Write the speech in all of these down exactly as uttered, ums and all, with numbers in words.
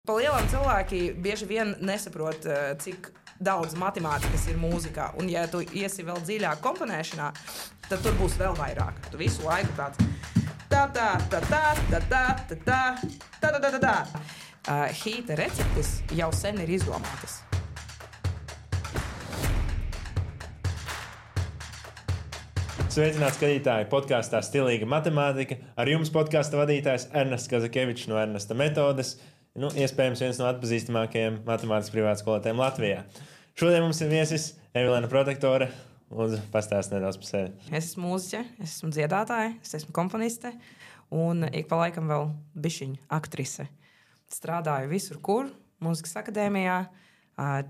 Pa lielam cilvēki bieži vien nesaprot, cik daudz matemātikas ir mūzikā. Un, ja tu iesi vēl dziļāk komponēšanā, tad tur būs vēl vairāk. Tu visu laiku tāds tā, tā, tā, tā, tā, tā, tā, tā, tā, tā, tā, tā. Uh, hīta receptes jau sen ir izdomātas. Sveicināti skatītāji podkāstā Stilīga matemātika. Ar jums podkāsta vadītājs Ernests Kazakevičs no Ernesta metodes. Nu, iespējams, viens no atpazīstamākajiem matemātikas privātskolotājiem Latvijā. Šodien mums ir viesis Evelēna Protektore. Lūdzu, pastāst nedaudz par sevi. Es esmu mūziķe, es esmu dziedātāja, es esmu komponiste un ik pa laikam vēl bišķiņa aktrise. Strādāju visur, kur, mūzikas akadēmijā,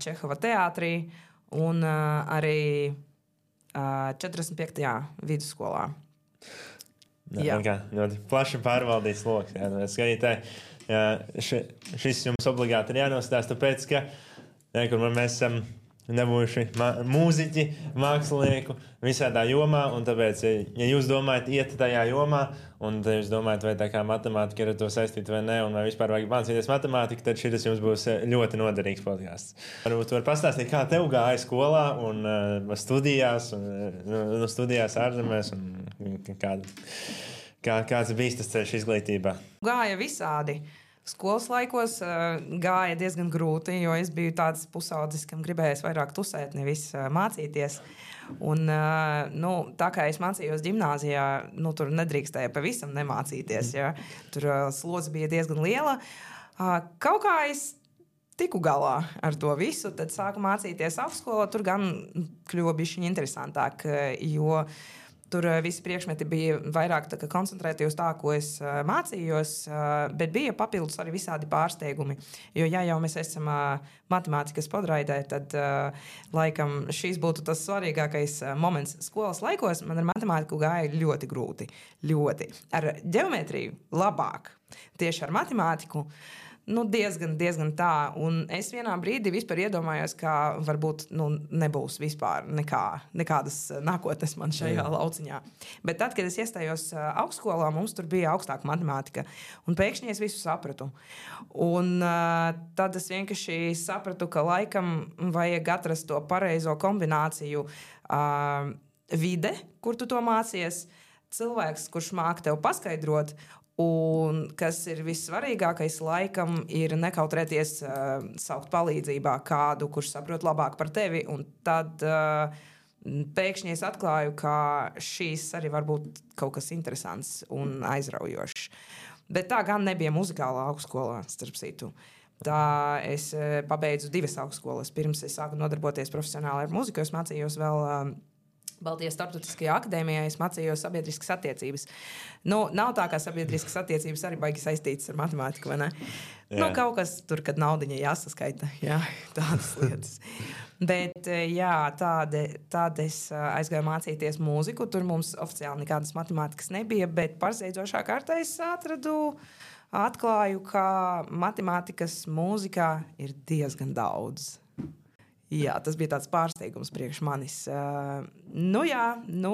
Čehova teātrī un arī četrdesmit piektajā vidusskolā. Jā, kā, ļoti plaši pārvaldīts loks. Jā, skatītāji, jā, ši, šis jums obligāti ir jānostāsta, tāpēc, ka jā, kur mēs esam nebūjuši mūziķi, mākslinieku visādā jomā, un tāpēc, ja jūs domājat iet tajā jomā, un jūs domājat, vai tā kā matemātika ir ar to saistīta vai ne, un vai vispār vajag mācīties matemātiku, tad šis jums būs ļoti noderīgs podcasts. Varbūt var pastāstīt, kā tev gāja skolā un uh, studijās, un uh, studijās ārzemēs, un kāda, kā, kāds bija tas ceļš izglītībā? Gāja visādi. Skolas laikos uh, gāja diezgan grūti, jo es biju tāds pusaudzis, kam gribējās vairāk tusēt, nevis uh, mācīties. Un, uh, nu, tā kā es mācījos ģimnāzijā, nu, tur nedrīkstēja pavisam nemācīties. Ja? Tur uh, slodze bija diezgan liela. Uh, kaut kā es tiku galā ar to visu, tad sāku mācīties augstskolā. Tur gan kļuva bišķiņ interesantāk, jo tur visi priekšmeti bija vairāk koncentrēti uz tā, ko es uh, mācījos, uh, bet bija papildus arī visādi pārsteigumi. Jo, ja jau mēs esam uh, matemātikas podraidē, tad uh, laikam šīs būtu tas svarīgākais uh, moments skolas laikos. Man ar matemātiku gāja ļoti grūti. Ļoti. Ar ģeometriju labāk. Tieši ar matemātiku nu, diezgan, diezgan tā. Un es vienā brīdī vispār iedomājos, ka varbūt nu, nebūs vispār nekā, nekādas nākotnes man šajā Jā. lauciņā. Bet tad, kad es iestājos augstskolā, mums tur bija augstāka matemātika. Un pēkšņi es visu sapratu. Un uh, tad es vienkārši sapratu, ka laikam vajag atrast to pareizo kombināciju uh, vide, kur tu to mācies, cilvēks, kurš māk tev paskaidrot. Un kas ir vissvarīgākais, laikam, ir nekautrēties uh, saukt palīdzībā kādu, kurš saprot labāk par tevi. Un tad uh, pēkšņi es atklāju, ka šīs arī var būt kaut kas interesants un aizraujošs. Bet tā gan nebija muzikālā augstskolā, starp citu. Tā es uh, pabeidzu divas augstskolas. Pirms es sāku nodarboties profesionāli ar muziku, es mācījos vēl Uh, Baltijas Starptautiskajā akadēmijā, es mācījos sabiedriskas attiecības. Nu, nav tā, kā sabiedriskas attiecības arī baigi saistītas ar matemātiku, vai ne? Jā. Nu, kaut kas tur, kad naudiņa jāsaskaita, jā, tādas lietas. Bet, jā, tāda, tāda es aizgāju mācīties mūziku, tur mums oficiāli nekādas matemātikas nebija, bet pārsteidzošā kārtā es atradu, atklāju, ka matemātikas mūzikā ir diezgan daudz. Jā, tas bija tāds pārsteigums priekš manis. Uh, nu jā, nu,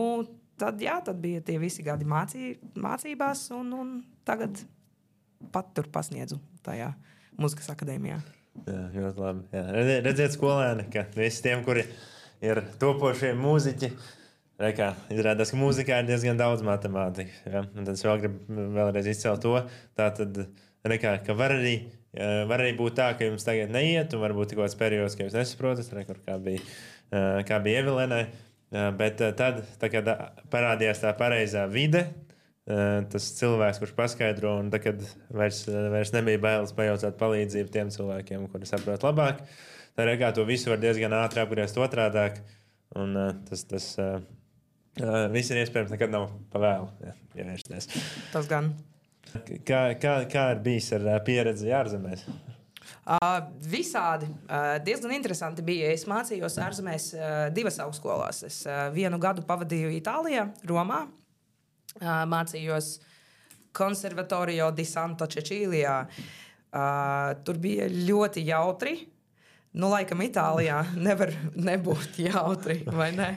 tad, jā, tad bija tie visi gadi mācī, mācībās, un, un tagad pat tur pasniedzu tajā muzikas akadēmijā. Jā, ļoti labi. Jā. Redziet, redziet skolēni, ka visi tiem, kuri ir topošie mūziķi, rekā, izrādās, ka mūzikā ir diezgan daudz matemātikas. Ja? Un tad es vēl gribu vēlreiz izcelt to, tā tad, rekā, ka var arī Var arī būt tā, ka jums tagad neiet, un varbūt kaut kāds periods, ka jūs nesaprotat, rekur, kā bija, kā bija Evelēnai. Bet tad, tā, kad parādījās tā pareizā vide, tas cilvēks, kurš paskaidro, un tad, kad vairs, vairs nebija bailes pajautāt palīdzību tiem cilvēkiem, kuri saprot labāk, tad rekā to visu var diezgan ātri apgriezt otrādāk, un tas, tas viss ir iespējams, nekad nav pa vēlu, ja, ievērsties. Tas gan. Kā, kā, kā ir bijis ar pieredzi ārzemēs? Uh, visādi. Uh, diezgan interesanti bija. Es mācījos ārzemēs uh, divas augstskolās. Es uh, vienu gadu pavadīju Itālijā, Romā. Uh, mācījos Konservatorio di Santa Cecilia. Uh, tur bija ļoti jautri. Nu, laikam Itālijā nevar nebūt jautri, vai ne?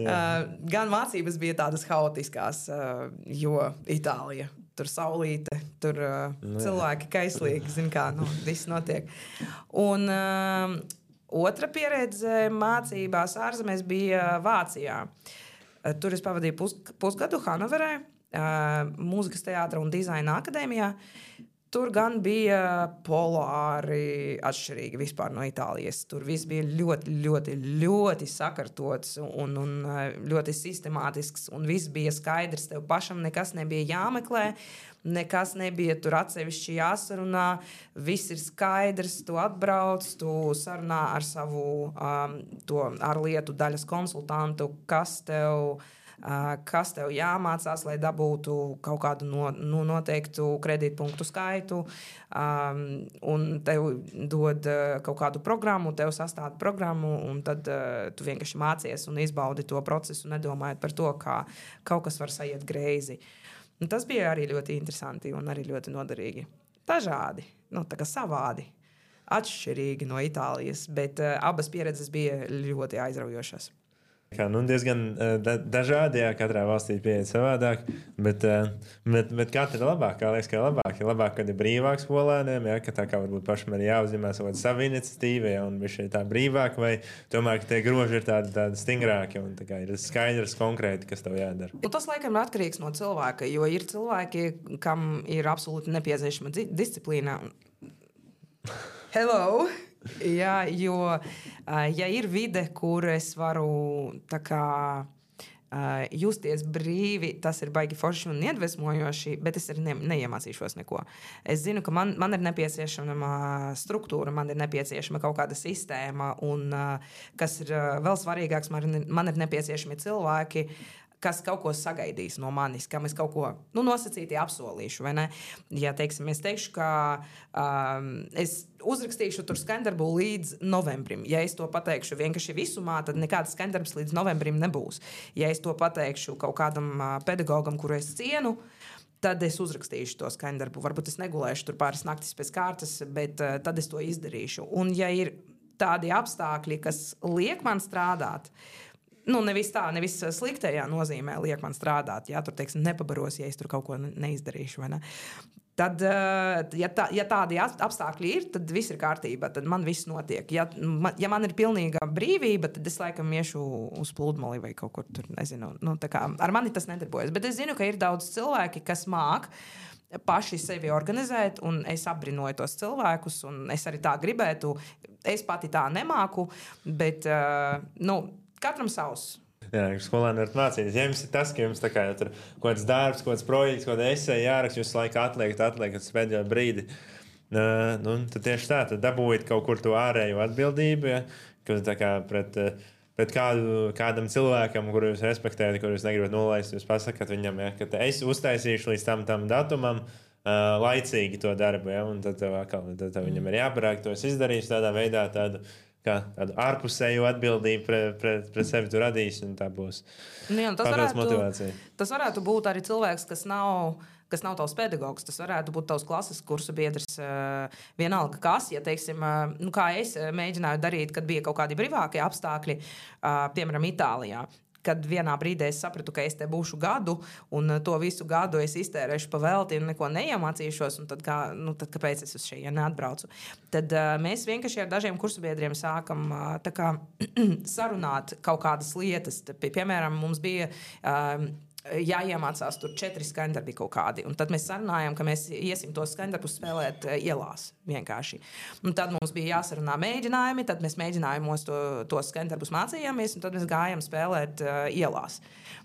uh, gan mācības bija tādas haotiskās, uh, jo Itālija. tur saulīte, tur uh, cilvēki kaislīgi, zin kā, nu, viss notiek. Un uh, otra pieredze mācībās ārzemēs bija Vācijā. Uh, tur es pavadīju pus, pusgadu Hanoverē, uh, mūzikas teātra un dizaina akadēmijā. Tur gan bija polāri atšķirīgi vispār no Itālijas. Tur viss bija ļoti, ļoti, ļoti sakārtots un, un ļoti sistemātisks. Un viss bija skaidrs. Tev pašam nekas nebija jāmeklē, nekas nebija tur atsevišķi jāsarunā. Viss ir skaidrs, tu atbrauc, tu sarunā ar savu um, to ārlietu daļas konsultantu, kas tev... Uh, kas tev jāmācās, lai dabūtu kaut kādu no, no noteiktu kredītpunktu skaitu, um, un tev dod uh, kaut kādu programmu, tev sastāda programmu, un tad uh, tu vienkārši mācies un izbaudi to procesu, nedomājot par to, kā kaut kas var saiet greizi. Un tas bija arī ļoti interesanti un arī ļoti noderīgi. Dažādi, nu, tā kā savādi, atšķirīgi no Itālijas, bet uh, abas pieredzes bija ļoti aizraujošas. Kā, nu, diezgan da, dažādi, jā, katrā valstī pieeja savādāk, bet, bet, bet katra ir labāk, kā liekas, ka ir labāk. Ir labāk, kad ir brīvāk skolēniem, jā, ka tā kā varbūt pašam ir jāuzņemās savu iniciatīvu, jā, un viņš ir tā brīvāk, vai tomēr, ka tie groži ir tādi, tādi stingrāki, un tā kā ir skaidrs konkrēti, kas tev jādara. Un tas, laikam, ir atkarīgs no cilvēka, jo ir cilvēki, kam ir absolūti nepieciešama disciplīna. Hello! Jā, jo, ja ir vide, kur es varu tā kā justies brīvi, tas ir baigi forši un iedvesmojoši, bet es arī ne, neiemācīšos neko. Es zinu, ka man, man ir nepieciešama struktūra, man ir nepieciešama kaut kāda sistēma, un kas ir vēl svarīgāks, man ir, man ir nepieciešami cilvēki, kas kaut ko sagaidīs no manis, kam es kaut ko nu, nosacīti apsolīšu, vai ne? Ja, teiksim, es teikšu, ka um, es uzrakstīšu tur skandarbu līdz novembrim. Ja es to pateikšu vienkārši visumā, tad nekāds skandarbs līdz novembrim nebūs. Ja es to pateikšu kaut kādam uh, pedagogam, kuru es cienu, tad es uzrakstīšu to skandarbu. Varbūt es negulēšu tur pāris naktis pēc kārtas, bet uh, tad es to izdarīšu. Un ja ir tādi apstākļi, kas liek man strādāt, nu, nevis tā, nevis sliktajā nozīmē liek man strādāt, ja tur, teiksim, nepabaros, ja es tur kaut ko neizdarīšu, vai ne? Tad, ja, tā, ja tādi apstākļi ir, tad viss ir kārtībā, tad man viss notiek. Ja, ja man ir pilnīga brīvība, tad es laikam iešu uz pludmali vai kaut kur tur, nezinu. Nu, tā kā ar mani tas nedarbojas. Bet es zinu, ka ir daudz cilvēki, kas māk paši sevi organizēt, un es apbrinoju tos cilvēkus, un es arī tā gribētu. Es pati tā nemāku, bet, nu, katram savs. Jā, skolēni var mācīties. Ja jums ir tas, ka jums tā kā, ja tur kaut kāds darbs, kaut kāds projekts, kaut kāda esēja jāraksta, jūs laiku atliekat, atliekat uz pēdējo brīdi, uh, nu, tad tieši tā, tad dabūjat kaut kur to ārējo atbildību, ja, ka tā kā pret, pret kādu, kādam cilvēkam, kuru jūs respektējat, kuru jūs negribat nolaist, jūs pasakat viņam, ja, ka es uztaisīšu līdz tam, tam datumam, uh, laicīgi to darbu, ja, un tad, tev, atkal, tad tev viņam ir jāparāk, to es izdarīšu tādā veidā, tādu, kā tādu ārpusēju atbildību pret, pret, pret sevi tu radīsi, un tā būs nu, jā, tas papildus varētu, motivācija. Tas varētu būt arī cilvēks, kas nav, kas nav tavs pedagogs. Tas varētu būt tavs klases kursa biedrs, vienalga kas, ja, teiksim, nu, kā es mēģināju darīt, kad bija kaut kādi brīvākie apstākļi, piemēram, Itālijā. Kad vienā brīdī es sapratu, ka es te būšu gadu, un to visu gadu es iztērēšu pa velti un neko neiemācīšos, un tad, kā, nu, tad kāpēc es uz šejieni atbraucu? Tad uh, mēs vienkārši ar dažiem kursabiedriem sākam uh, tā kā sarunāt kaut kādas lietas. Pie, piemēram, mums bija uh, jāiemācās tur četri skandarbi kaut kādi, un tad mēs sarunājam, ka mēs iesim tos skandarbus spēlēt uh, ielās vienkārši. Un tad mums bija jāsarunā mēģinājumi, tad mēs mēģinājumos to, tos skandarbus mācījāmies, un tad mēs gājām spēlēt uh, ielās.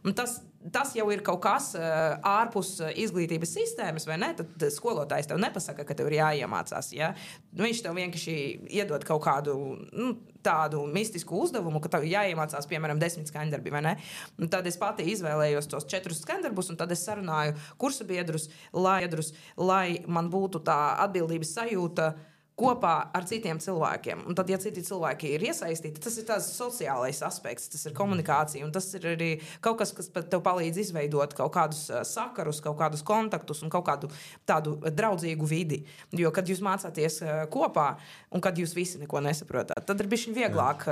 Un tas, tas jau ir kaut kas uh, ārpus izglītības sistēmas, vai ne? Tad skolotājs tev nepasaka, ka tev ir jāiemācās, ja? Viņš tev vienkārši iedod kaut kādu, nu, tādu mistisku uzdevumu, ka tev jāiemācās, piemēram, desmit skandarbi, vai ne? Un tad es pati izvēlējos tos četrus skandarbus, un tad es sarunāju kursabiedrus, lai, lai man būtu tā atbildības sajūta kopā ar citiem cilvēkiem. Un tad, ja citi cilvēki ir iesaistīti, tas ir tāds sociālais aspekts, tas ir komunikācija, un tas ir arī kaut kas, kas tev palīdz izveidot kaut kādus sakarus, kaut kādus kontaktus un kaut kādu tādu draudzīgu vidi. Jo, kad jūs mācāties kopā, un kad jūs visi neko nesaprotat, tad ir bišķiņ vieglāk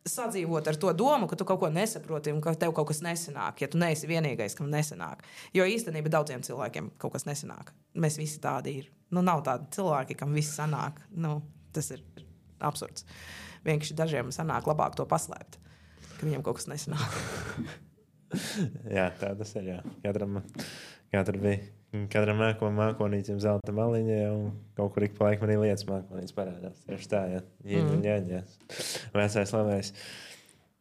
sadzīvot ar to domu, ka tu kaut ko nesaproti un ka tev kaut kas nesanāk, ja tu neesi vienīgais, kam nesanāk. Jo īstenībā daudziem cilvēkiem kaut kas nesanāk. Mēs visi tādi ir. Nu, nav tādi cilvēki, kam viss sanāk. Nu, tas ir absurds. Vienkārši dažiem sanāk labāk to paslēpt, ka viņiem kaut kas nesanāk. Jā, tā tas ir, jā. Katram, katram bija. Katram māko mākonīcim zelta maliņa, un kaut kur ik pa laikam arī lietas mākonīts parādās. Tieši tā, jā. Jīņ, jā, jā. Vecais labais.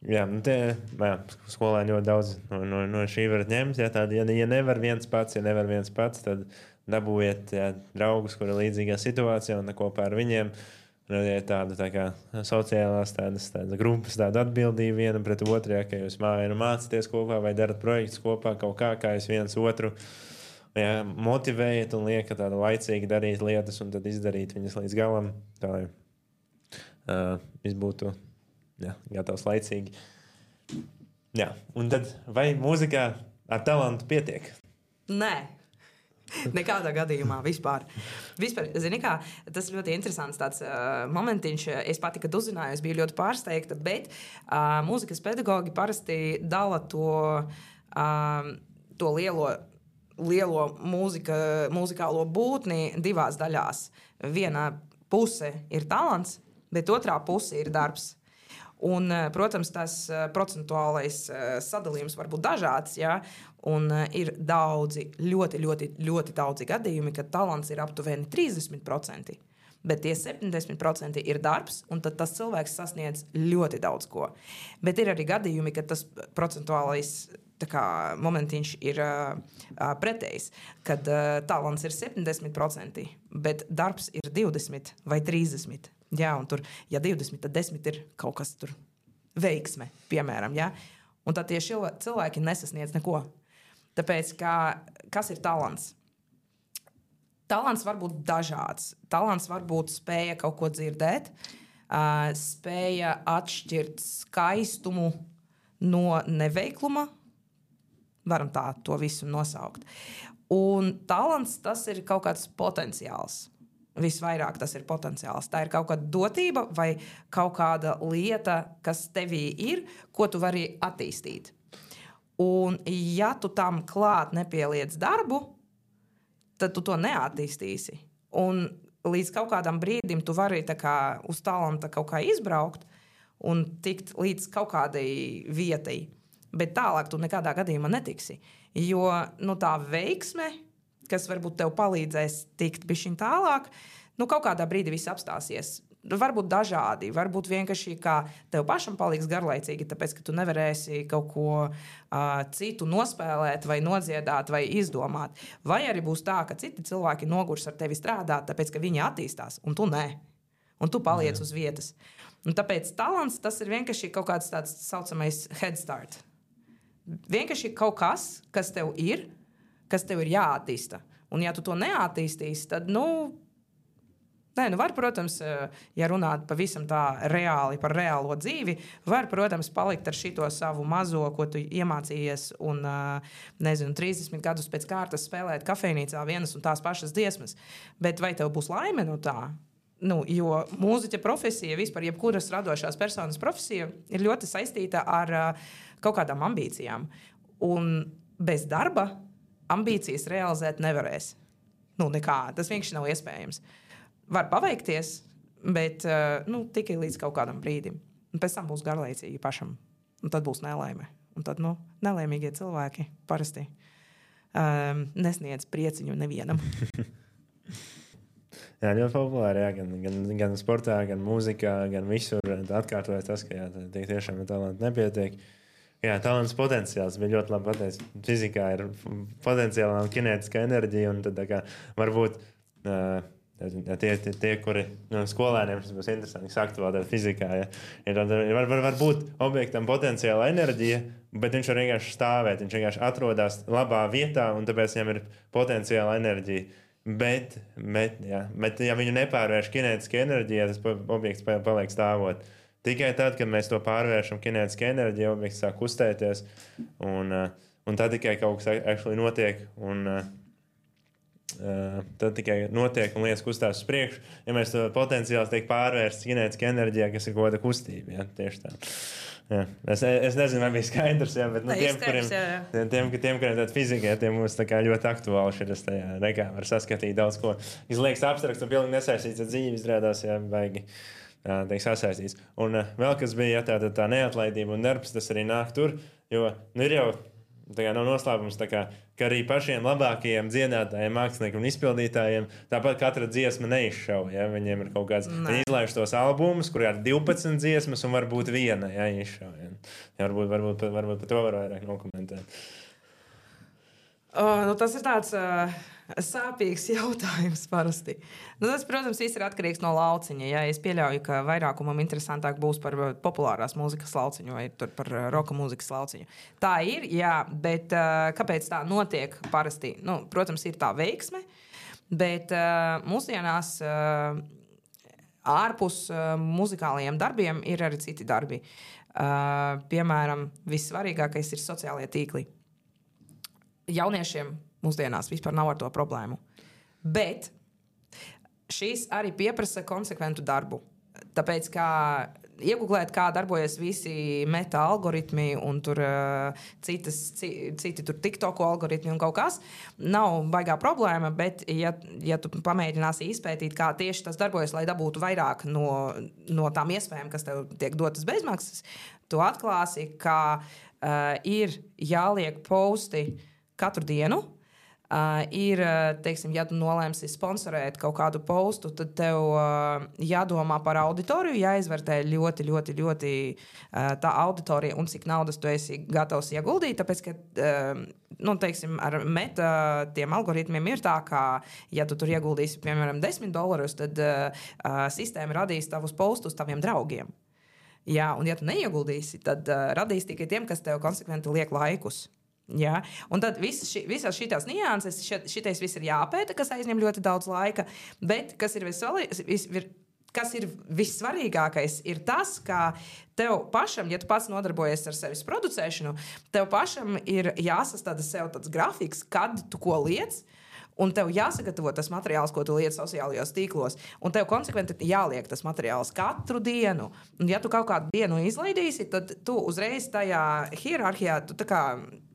Jā, nu tie, jā, skolēni ļoti daudz no, no, no šī varat ņemt. Jā, tādi, ja, ja nevar viens pats, ja nevar viens pats, tad dabūjiet jā, draugus, kuri ir līdzīgā situācijā un kopā ar viņiem. Radiet tādu tā kā sociālās tādas, tādas grupas, tādu atbildību vienam pret otru, ja, ka jūs māju mācāties kopā vai darat projektus kopā kaut kā, kā jūs viens otru jā, motivējiet un liekat tādu laicīgi darīt lietas un tad izdarīt viņas līdz galam, tā lai uh, viss būtu jā, gatavs laicīgi. Jā, un tad vai mūzikā ar talantu pietiek? Nē. Nekādā gadījumā vispār. Vispār, zini kā, tas ļoti interesants tāds uh, momentiņš. Es pati, kad uzzināju, es biju ļoti pārsteigta, bet uh, mūzikas pedagogi parasti dala to, uh, to lielo, lielo mūzika, mūzikālo būtni divās daļās. Viena puse ir talants, bet otrā puse ir darbs. Un, protams, tas procentuālais sadalījums var būt dažāds, ja? Un ir daudzi, ļoti, ļoti, ļoti daudzi gadījumi, kad talants ir aptuveni trīsdesmit procenti, bet tie septiņdesmit procenti ir darbs, un tad tas cilvēks sasniedz ļoti daudz ko. Bet ir arī gadījumi, kad tas procentuālais tā kā, momentiņš ir uh, pretējs, kad uh, talants ir septiņdesmit procenti, bet darbs ir divdesmit vai trīsdesmit. Jā, un tur, ja divdesmit, tad desmit ir kaut kas tur veiksme, piemēram, jā. Un tad tie cilvēki nesasniedz neko. Tāpēc, kā, kas ir talants? Talants var būt dažāds. Talants var būt spēja kaut ko dzirdēt, uh, spēja atšķirt skaistumu no neveikluma, varam tā to visu nosaukt. Un talants, tas ir kaut kāds potenciāls. Visvairāk tas ir potenciāls. Tā ir kaut kāda dotība vai kaut kāda lieta, kas tevī ir, ko tu vari attīstīt. Un ja tu tam klāt nepieliec darbu, tad tu to neattīstīsi. Un līdz kaut kādam brīdim tu vari tā kā uz talanta kaut kā izbraukt un tikt līdz kaut kādai vietai. Bet tālāk tu nekādā gadījumā netiksi. Jo nu, tā veiksme, kas varbūt tev palīdzēs tikt bišķiņ tālāk, nu kaut kādā brīdī viss apstāsies. Varbūt dažādi, varbūt vienkārši kā tev pašam paliks garlaicīgi, tāpēc, ka tu nevarēsi kaut ko uh, citu nospēlēt vai nodziedāt vai izdomāt. Vai arī būs tā, ka citi cilvēki nogurs ar tevi strādāt, tāpēc, ka viņi attīstās, un tu nē. Un tu paliec Jā. Uz vietas. Un tāpēc talants, tas ir vienkārši kaut kāds tāds saucamais head start. Vienkārši kaut kas, kas tev ir, kas tev ir jāattīsta. Un ja tu to neattīstīsi, tad, nu, nē, nu var, protams, ja runāt pavisam tā reāli par reālo dzīvi, var, protams, palikt ar šito savu mazo, ko tu iemācījies un, nezinu, trīsdesmit gadus pēc kārtas spēlēt kafejnīcā vienas un tās pašas dziesmas. Bet vai tev būs laime no tā? Nu, jo mūziķa profesija, vispār jebkuras radošās personas profesija ir ļoti saistīta ar uh, kaut kādām ambīcijām. Un bez darba ambīcijas realizēt nevarēs. Nu, nekā. Tas vienkārši nav iespējams. Var paveikties, bet uh, nu, tikai līdz kaut kādam brīdim. Un pēc tam būs garlaicīgi pašam. Un tad būs nelaime. Un tad, nu, nelaimīgie cilvēki parasti um, nesniedz prieciņu nevienam. Jā, ļoti populāri, jā, gan, gan, gan sportā, gan mūzikā, gan visur atkārtojas tas, ka jā, tā tiešām talanti nepietiek. Jā, talants potenciāls bija ļoti labi pateicis. Fizikā ir potenciālā un kinētiskā enerģija, un tad tā kā varbūt uh, tie, tie, tie, kuri no skolēniem, tas būs interesanti sakt vēl tādā fizikā, ja, ir, var, var, var būt objektam potenciāla enerģija, bet viņš var vienkārši stāvēt, viņš vienkārši atrodas labā vietā, un tāpēc viņam ir potenciāla enerģija. Bet, bet, jā, bet, ja viņu nepārvērš kinētiskā enerģijā, tas objekts paliek stāvot. Tikai tad, kad mēs to pārvēršam kinētiskā enerģijā, objekts sāk kustēties, un, un tad tikai kaut kas actually notiek. Un, uh, tad tikai notiek un lietas kustās uz priekšu. Ja mēs to potenciāls tiek pārvērsts ģenētiskā enerģijā, kas ir kaut kāda kustība, ja? Tieši tā. Jā. Es, es nezinu, vai bija skaidrs, jā, bet nu, tiem, kuriem, tiem, tiem, tiem, kuriem tāda fizika, tiem mums tā kā ļoti aktuāli šis tajā nekā var saskatīt daudz ko. Izliekas abstrakts un pilnīgi nesaistīts ar dzīvi, izrādās, jā, baigi, jā, teik sasaistīts. Un uh, vēl kas bija, ja tā, tā, tā neatlaidība un darbs, tas arī nāk tur, jo nu, ir jau tā kā nav noslēpums, tā kā, ka arī pašiem labākajiem dziedātājiem, māksliniekiem un izpildītājiem tāpat katra dziesma neizšauja. Ja? Viņiem ir kaut kāds, ne. Viņi izlaiž tos albumus, kur ir divpadsmit dziesmas un varbūt viena, ja izšauja. Ja, varbūt, varbūt, varbūt par to var vairāk nokomentēt. Uh, nu, tas ir tāds uh, sāpīgs jautājums parasti. Nu, tas, protams, viss ir atkarīgs no lauciņa. Ja? Es pieļauju, ka vairākumam interesantāk būs par populārās mūzikas lauciņu vai par roka mūzikas lauciņu. Tā ir, jā, bet uh, kāpēc tā notiek parasti? Nu, protams, ir tā veiksme, bet uh, mūsdienās uh, ārpus uh, muzikālajiem darbiem ir arī citi darbi. Uh, piemēram, vissvarīgākais ir sociālie tīkli. Jauniešiem mūsdienās vispār nav ar to problēmu. Bet šīs arī pieprasa konsekventu darbu. Tāpēc, kā iegūglēt, kā darbojas visi meta algoritmi un tur, uh, citas, ci, citi tur TikToku algoritmi un kaut kas, nav baigā problēma, bet ja, ja tu pamēģināsi izpētīt, kā tieši tas darbojas, lai dabūtu vairāk no, no tām iespējām, kas tev tiek dotas bezmaksas, tu atklāsi, ka uh, ir jāliek posti katru dienu. Uh, ir, teiksim, ja tu nolēmsi sponsorēt kaut kādu postu, tad tev uh, jādomā par auditoriju, jāizvērtē ļoti, ļoti, ļoti uh, tā auditorija un cik naudas tu esi gatavs ieguldīt, tāpēc, ka, uh, nu, teiksim, ar meta tiem algoritmiem ir tā, ka, ja tu tur ieguldīsi, piemēram, desmit dolārus, tad uh, uh, sistēma radīs tavus postus taviem draugiem. Jā, un ja tu neieguldīsi, tad uh, radīs tikai tiem, kas tev konsekventi liek laikus. Ja? Un tad visas šī, šīs nianses, šitais viss ir jāpēta, kas aizņem ļoti daudz laika. Bet kas ir, visvali, vis, kas ir vissvarīgākais, ir tas, ka tev pašam, ja tu pats nodarbojies ar sevis producēšanu, tev pašam ir jāsastāda sev tāds grafiks, kad tu ko liec. Un tev jāsagatavo tas materiāls, ko tu liec sociālajos tīklos. Un tev konsekventi jāliek tas materiāls katru dienu. Un ja tu kaut kādu dienu izlaidīsi, tad tu uzreiz tajā hierarhijā tu tā kā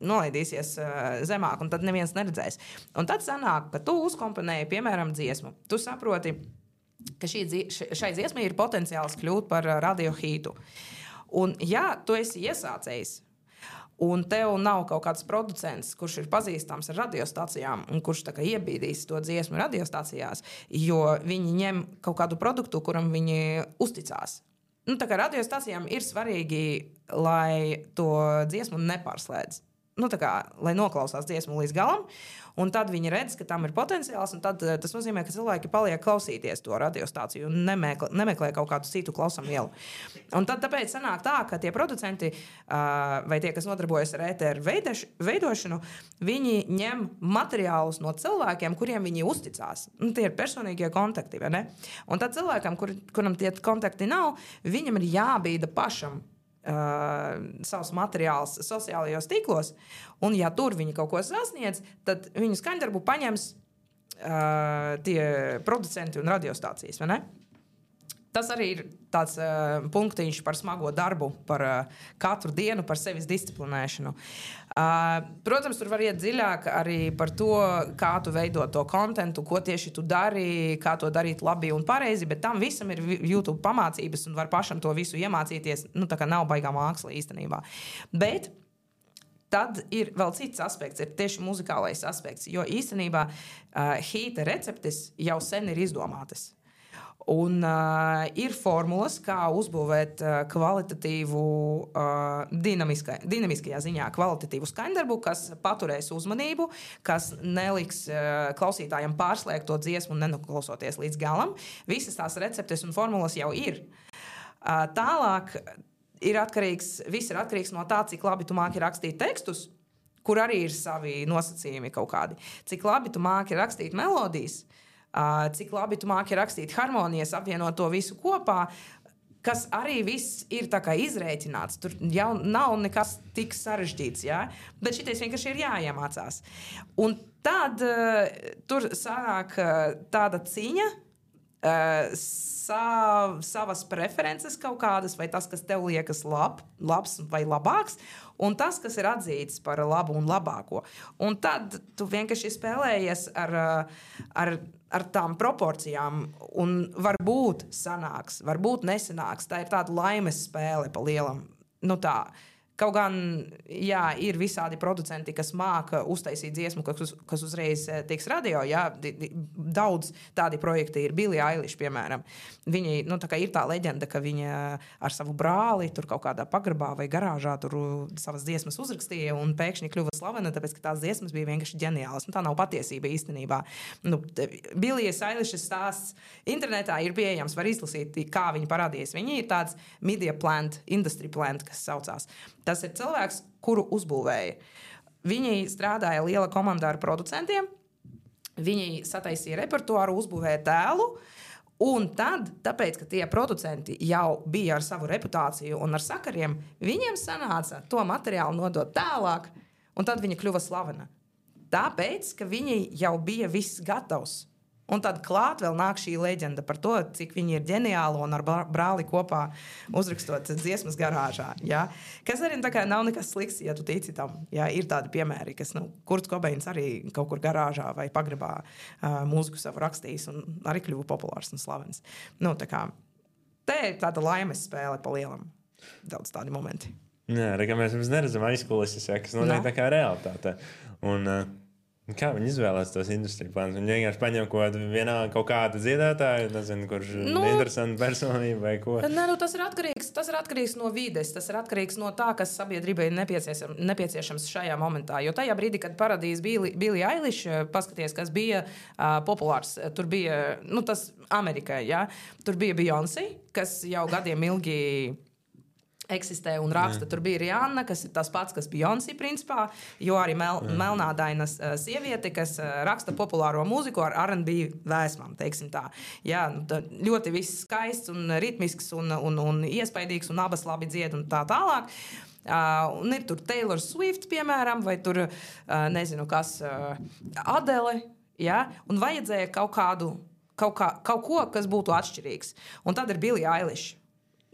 nolaidīsies uh, zemāk, un tad neviens neredzēs. Un tad sanāk, ka tu uzkomponēji, piemēram, dziesmu. Tu saproti, ka šī, šai dziesmai ir potenciāls kļūt par radio hītu. Un ja tu esi iesācējis, un tev nav kaut kāds producents, kurš ir pazīstams ar radiostacijām un kurš tā kā iebīdīs to dziesmu radiostacijās, jo viņi ņem kaut kādu produktu, kuram viņi uzticās. Nu, tā kā radiostacijām ir svarīgi, lai to dziesmu nepārslēdz. Nu, tā kā, lai noklausās dziesmu līdz galam, un tad viņi redz, ka tam ir potenciāls, un tad tas nozīmē, ka cilvēki paliek klausīties to radiostāciju un nemeklē, nemeklē kaut kādu citu klausamielu. Un tad tāpēc sanāk tā, ka tie producenti vai tie, kas nodarbojas ar ēteru veidošanu, viņi ņem materiālus no cilvēkiem, kuriem viņi uzticās. Un tie ir personīgie kontakti, vai ne? Un tad cilvēkam, kur, kuram tie kontakti nav, viņam ir jābīda pašam Uh, savus materiālus sociālajos tīklos, un ja tur viņi kaut ko sasniedz, tad viņu skaņdarbu paņems uh, tie producenti un radiostācijas, vai ne? Tas arī ir tāds uh, punktiņš par smago darbu, par uh, katru dienu, par sevis disciplinēšanu. Uh, protams, tur var iet dziļāk arī par to, kā tu veido to kontentu, ko tieši tu dari, kā to darīt labi un pareizi, bet tam visam ir YouTube pamācības un var pašam to visu iemācīties. Nu, tā kā nav baigā māksla īstenībā. Bet tad ir vēl cits aspekts, ir tieši muzikālais aspekts, jo īstenībā uh, hīta receptes jau sen ir izdomātas. Un uh, ir formulas, kā uzbūvēt uh, kvalitatīvu, uh, dinamiskajā ziņā kvalitatīvu skaņdarbu, kas paturēs uzmanību, kas neliks uh, klausītājiem pārslēgt to dziesmu un nenoklausoties līdz galam. Visas tās receptes un formulas jau ir. Uh, tālāk ir atkarīgs, viss ir atkarīgs no tā, cik labi tu māki rakstīt tekstus, kur arī ir savi nosacījumi kaut kādi. Cik labi tu māki rakstīt melodijas, Uh, cik labi tu māki rakstīt harmonijas, apvienot to visu kopā, kas arī viss ir tā kā izrēķināts. Tur jau nav nekas tik sarežģīts, jā? Bet šitais vienkārši ir jāiemācās. Un tad uh, tur sanāk uh, tāda ciņa, uh, sa, savas preferences kaut kādas, vai tas, kas tev liekas lab, labs vai labāks, un tas, kas ir atzīts par labu un labāko. Un tad tu vienkārši spēlējies ar, ar, ar tām proporcijām, un varbūt sanāks, varbūt nesanāks. Tā ir tāda laimes spēle pa lielam. Nu tā. Kaut gan, jā, ir visādi producenti, kas māca uztaisīt dziesmu, kas, kas uzreiz tiks radio. Jā, daudz tādi projekti ir. Billie Eilish, piemēram. Viņi, nu, tā kā ir tā leģenda, ka viņa ar savu brāli tur kaut kādā pagrabā vai garāžā tur savas dziesmas uzrakstīja un pēkšņi kļuva slavena, tāpēc, ka tās dziesmas bija vienkārši ģeniālas. Nu, tā nav patiesība īstenībā. Nu, Billie Eilish stāsts internetā ir pieejams, var izlasīt, kā viņa parādījās. Viņa ir tāds media plant, industry plant, kas saucās. Tas ir cilvēks, kuru uzbūvēja. Viņi strādāja liela komandā ar producentiem, viņi sataisīja repertuāru, uzbūvēja tēlu, un tad, tāpēc, ka tie producenti jau bija ar savu reputāciju un ar sakariem, viņiem sanāca to materiālu nodot tālāk, un tad viņa kļuva slavena. Tāpēc, ka viņi jau bija viss gatavs. Un tad klāt vēl nāk šī leģenda par to, cik viņi ir ģeniāli un ar brāli kopā uzrakstot dziesmas garāžā. Ja? Kas arī tā kā nav nekas slikts, ja tu tici tam. Ja? Ir tādi piemēri, kas, nu, Kurts Kobeins arī kaut kur garāžā vai pagrabā uh, mūziku savu rakstījis un arī kļuva populārs un slavens. Nu, tā kā, te ir tāda laimes spēle pa lielam. Daudz tādi momenti. Jā, kā mēs neredzam aizkulises, ja, kas notiek tā kā realitāte. Un... Uh... Kā viņi izvēlās tos industriju plānus? Viņi vienkārši paņem kaut, vienā, kaut kādu dziedātāju, nezinu, kurš nu, interesanta personība vai ko. Ne, nu, tas, ir atkarīgs, tas ir atkarīgs no vides, tas ir atkarīgs no tā, kas sabiedrībai ir nepieciešams, nepieciešams šajā momentā. Jo tajā brīdī, kad parādījās Billie, Billie Eilish, paskaties, kas bija uh, populārs, tur bija, nu, tas Amerikai, ja? Tur bija Beyoncé, kas jau gadiem ilgi eksistē un raksta. Jā. Tur bija Rihanna, kas ir tas pats, kas Beyoncé principā, jo arī mel, melnādaina uh, sieviete, kas uh, raksta populāro mūziku ar R and B vēsmām, teiksim tā. Jā, ļoti viss skaists un ritmisks un, un, un iespaidīgs un abas labi dzied un tā tālāk. Uh, un ir tur Taylor Swift, piemēram, vai tur, uh, nezinu, kas, uh, Adele, jā, un vajadzēja kaut kādu, kaut, kā, kaut ko, kas būtu atšķirīgs. Un tad ir Billie Eilish.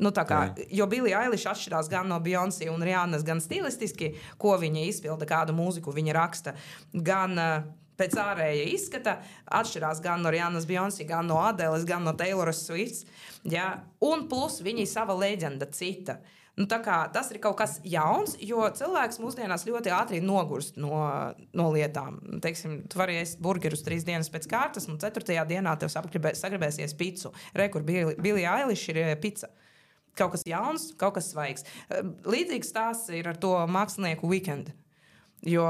Nu, tā kā, jo Billie Eilish atšķirās gan no Beyoncé un Rihannas, gan stilistiski, ko viņa izpilda, kādu mūziku viņa raksta, gan uh, pēc ārēja izskata, atšķirās gan no Rihannas, Beyoncé, gan no Adeles, gan no Tayloras Swifts, ja? Un plus viņa sava leģenda cita. Nu, tā kā, tas ir kaut kas jauns, jo cilvēks mūsdienās ļoti ātri nogurst no, no lietām. Teiksim, tu vari ēst burgerus trīs dienas pēc kārtas, un ceturtajā dienā tev sagribēsies picu. Re, kur Billie Eilish ir pica. Kaut kas jauns, kaut kas svaigs. Līdzīgs stāsts ir ar to mākslinieku Weekend. Jo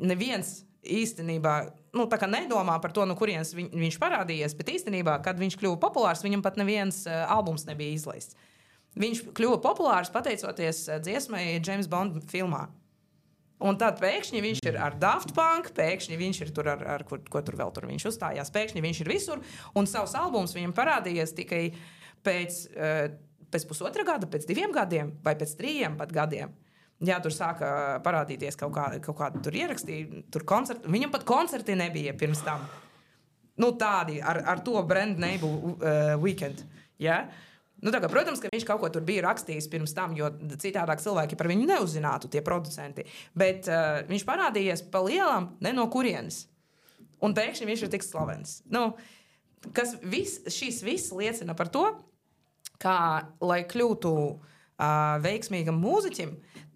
neviens īstenībā nu, tā kā nedomā par to, no kurienes viņ, viņš parādījies, bet īstenībā, kad viņš kļuva populārs, viņam pat neviens uh, albums nebija izlaists. Viņš kļuva populārs pateicoties uh, dziesmai James Bond filmā. Un tad pēkšņi viņš ir ar Daft Punk, pēkšņi viņš ir tur ar, ar kur, ko tur vēl tur viņš uzstājās, pēkšņi viņš ir visur, un savs albums viņam parādījies tikai pēc... Uh, pēc pusotra gada, pēc diviem gadiem vai pēc trījiem pat gadiem. Jā, tur sāka parādīties kaut kāda, kaut kāda tur ierakstīja, tur koncerti. Viņam pat koncerti nebija pirms tam. Nu, tādi ar, ar to brand name uh, Weekend. Jā. Nu, tā kā, protams, ka viņš kaut ko tur bija rakstījis pirms tam, jo citādāk cilvēki par viņu neuzzinātu, tie producenti. Bet uh, viņš parādījies pa lielam ne no kurienes. Un pēkšņi viņš ir tik slavens. Nu, kas vis, šīs viss liecina par to, kā, lai kļūtu uh, veiksmīgam mūziķim,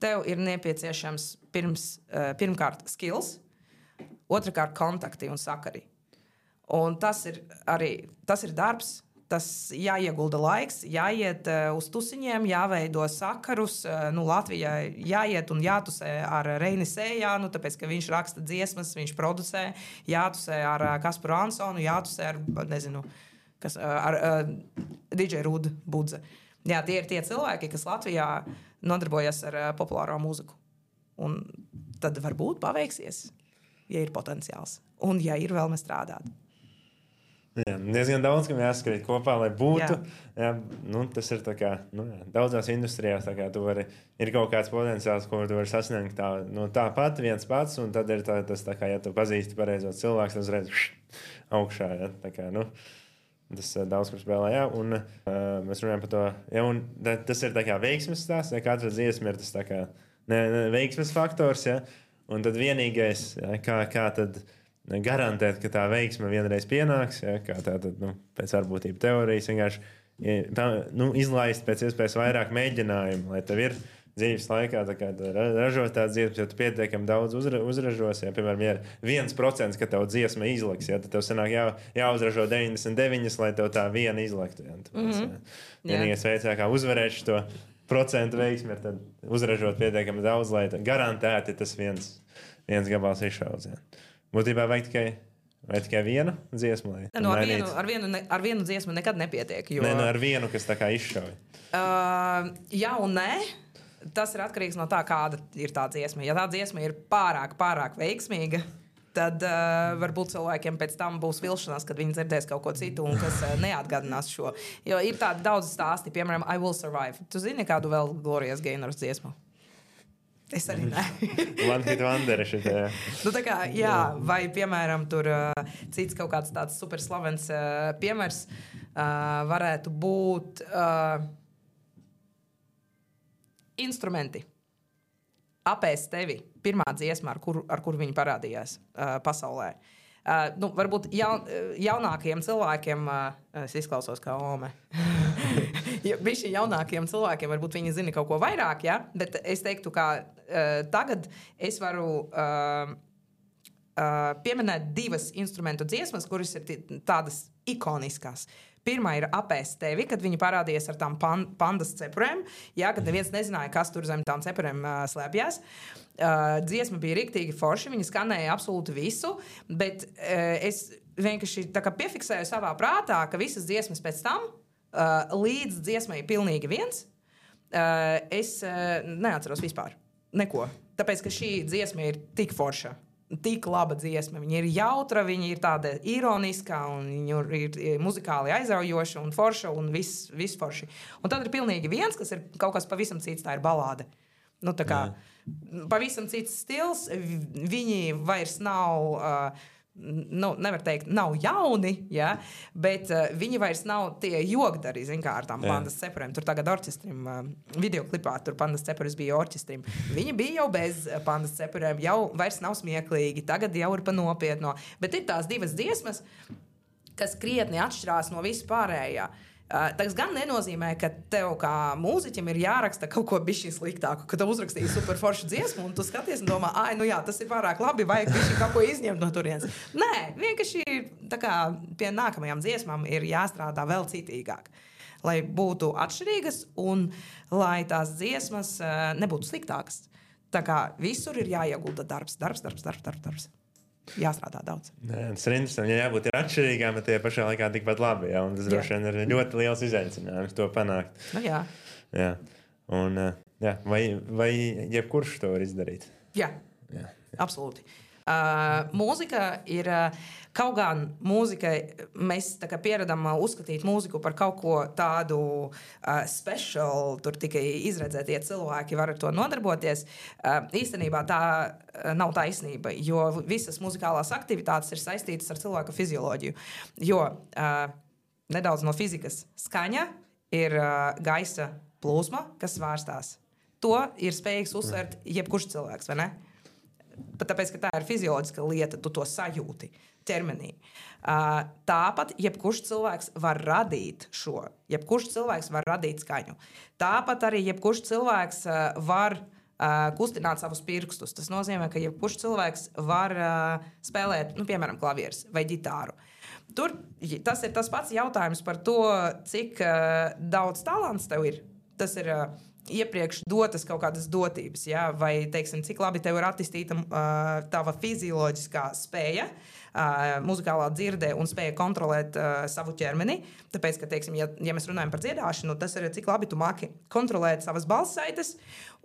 tev ir nepieciešams pirms, uh, pirmkārt skills, otrkārt kontakti un sakari. Un tas ir arī, tas ir darbs, tas jāiegulda laiks, jāiet uh, uz tusiņiem, jāveido sakarus, uh, nu, Latvijā jāiet un jātusē ar Reini Sējānu, tāpēc, ka viņš raksta dziesmas, viņš producē, jātusē ar uh, Kasparu Ansonu, jātusē ar, nezinu, kas ar uh, D J Rudu Budze. Jā, tie ir tie cilvēki, kas Latvijā nodarbojas ar uh, populāro mūziku. Un tad varbūt paveiksies, ja ir potenciāls. Un ja ir vēlme strādāt. Jā, diezgan daudz, kam jāskrīt kopā, lai būtu. Jā. Jā, nu, tas ir tā kā, nu, jā, daudzās industrijās, tā kā tu vari, ir kaut kāds potenciāls, ko tu vari sasniegt tā, nu, tāpat viens pats, un tad ir tā, tas tā kā, ja tu pazīsti pareizos cilvēks, tad uzreiz augšā, jā, tā kā, nu, tas daudz, kur spēlē, jā, un uh, mēs runājam par to, jā, un tas ir tā kā veiksmes stāsts, ja katra dziesma ir tas tā kā, ne, ne, veiksmes faktors, jā, un tad vienīgais, jā, kā, kā tad garantēt, ka tā veiksme vienreiz pienāks, ja, kā tā tad, nu, pēc varbūtību teorijas vienkārši tā, nu, izlaist pēc iespējas vairāk mēģinājumu, lai tev ir dzīves laikā tā kā ražot tādas dziesmas, jo tu pietiekami daudz uzra, uzražos, ja, piemēram, ja viens procents, ka tev dziesma izlaks, ja, tad tev sanāk jā, jāuzražo deviņdesmit deviņi, lai tev tā viena izlaktu. Ja, tāpēc, mm-hmm. ja, vienīgais veids, kā uzvarēt šo procentu veiksmi, ir tad uzražot pietiekami daudz, lai garantēti tas viens, viens gabals izšauts. Ja. Būtībā vajag tikai, vai tikai vienu dziesmu. Lai, nu, ar, vienu, ar, vienu, ar vienu dziesmu nekad nepietiek. Jo... Nē, nu, ar vienu, kas tā kā izšauj. Uh, jā un nē. Tas ir atkarīgs no tā, kāda ir tā dziesma. Ja tā dziesma ir pārāk, pārāk veiksmīga, tad uh, varbūt cilvēkiem pēc tam būs vilšanās, kad viņi dzirdēs kaut ko citu un kas uh, neatgādinās šo. Jo ir tādi daudz stāsti, piemēram, I Will Survive. Tu zini kādu vēl Glorijas Gaynors dziesmu? Es arī nē. One hit wonder šitie. Nu, tā kā, jā, vai, piemēram, tur uh, cits kaut kāds tāds super slavens uh, piemērs uh, varētu būt uh, instrumenti. Apēst tevi. Pirmā dziesma, ar kuru ar kur viņi parādījās uh, pasaulē. Uh, nu, varbūt jaun, jaunākajiem cilvēkiem, uh, es izklausos kā ome, ja, bišķi jaunākajiem cilvēkiem varbūt viņi zina kaut ko vairāk, ja? Bet es teiktu, ka uh, tagad es varu uh, uh, pieminēt divas instrumentu dziesmas, kuras ir t- tādas ikoniskas. Pirmā ir Apēst tevi, kad viņi parādījās ar tām pan, pandas cepurēm, ja, kad neviens nezināja, kas tur zem tām cepurēm uh, slēpjās. Uh, dziesma bija riktīgi forši, viņa skanēja absolūti visu, bet uh, es vienkārši tā kā piefiksēju savā prātā, ka visas dziesmas pēc tam, uh, līdz dziesmai pilnīgi viens, uh, es uh, neatceros vispār neko. Tāpēc, ka šī dziesma ir tik forša, tik laba dziesma. Viņa ir jautra, viņa ir tāda ironiska, un viņa ir, ir muzikāli aizraujoša un forša, un viss, viss forši. Un tad ir pilnīgi viens, kas ir kaut kas pavisam cits, tā ir balāde. Nu, tā kā Jā. Pavisam cits stils, viņi vairs nav, uh, nu, nevar teikt, nav jauni, ja, bet uh, viņi vairs nav tie jogdari, zin kā, ar tām Jā. Pandas cepurēm. Tur tagad orķestrim, uh, videoklipā, tur pandas cepuris bija orķestrim. Viņi bija jau bez pandas cepurēm, jau vairs nav smieklīgi, tagad jau ir pa nopietno. Bet ir tās divas dziesmas, kas krietni atšķirās no vispārējā. Uh, tas gan nenozīmē, ka tev kā mūziķim ir jāraksta kaut ko bišķi sliktāku, ka tev uzrakstīja super foršu dziesmu un tu skaties un domā, ai, nu jā, tas ir pārāk labi, vajag bišķi kaut ko izņemt no turienes. Nē, vienkārši tā kā pie nākamajām dziesmām ir jāstrādā vēl citīgāk, lai būtu atšķirīgas un lai tās dziesmas uh, nebūtu sliktākas. Tā kā visur ir jāiegulda darbs, darbs, darbs, darbs, darbs, darbs. Jāstrādā daudz. Nē, tas ir interesanti. Ja jābūt ir atšķirīgām, bet tie pašā laikā tikpat labi. Ja? Un tas droši vien ir ļoti liels izaicinājums to panākt. Nu, jā. Jā. Un, jā. Vai, vai jebkurš to var izdarīt? Jā, jā. Absolūti. Uh, mūzika ir, uh, kaut gan mūzikai mēs tā kā pieredam uh, uzskatīt mūziku par kaut ko tādu uh, special, tur tikai izredzētie cilvēki var ar to nodarboties. Uh, īstenībā tā uh, nav taisnība, jo visas muzikālās aktivitātes ir saistītas ar cilvēka fizioloģiju. Jo uh, nedaudz no fizikas skaņa ir uh, gaisa plūsma, kas svārstās. To ir spējīgs uzsvērt jebkurš cilvēks, vai ne? Pat tāpēc, ka tā ir fizioloģiska lieta, tu to sajūti ķermenī. Uh, tāpat jebkurš cilvēks var radīt šo. Jebkurš cilvēks var radīt skaņu. Tāpat arī jebkurš cilvēks uh, var uh, kustināt savus pirkstus. Tas nozīmē, ka jebkurš cilvēks var uh, spēlēt, nu, piemēram, klavieres vai ģitāru. Tur tas ir tas pats jautājums par to, cik uh, daudz talants tev ir. Tas ir... Uh, iepriekš dotas kaut kādas dotības, ja? Vai, teiksim, cik labi tev ir attīstīta uh, tava fizioloģiskā spēja, uh, muzikālā dzirdē un spēja kontrolēt uh, savu ķermeni. Tāpēc, ka, teiksim, ja, ja mēs runājam par dziedāšanu, tas ir, cik labi tu māki kontrolēt savas balssaites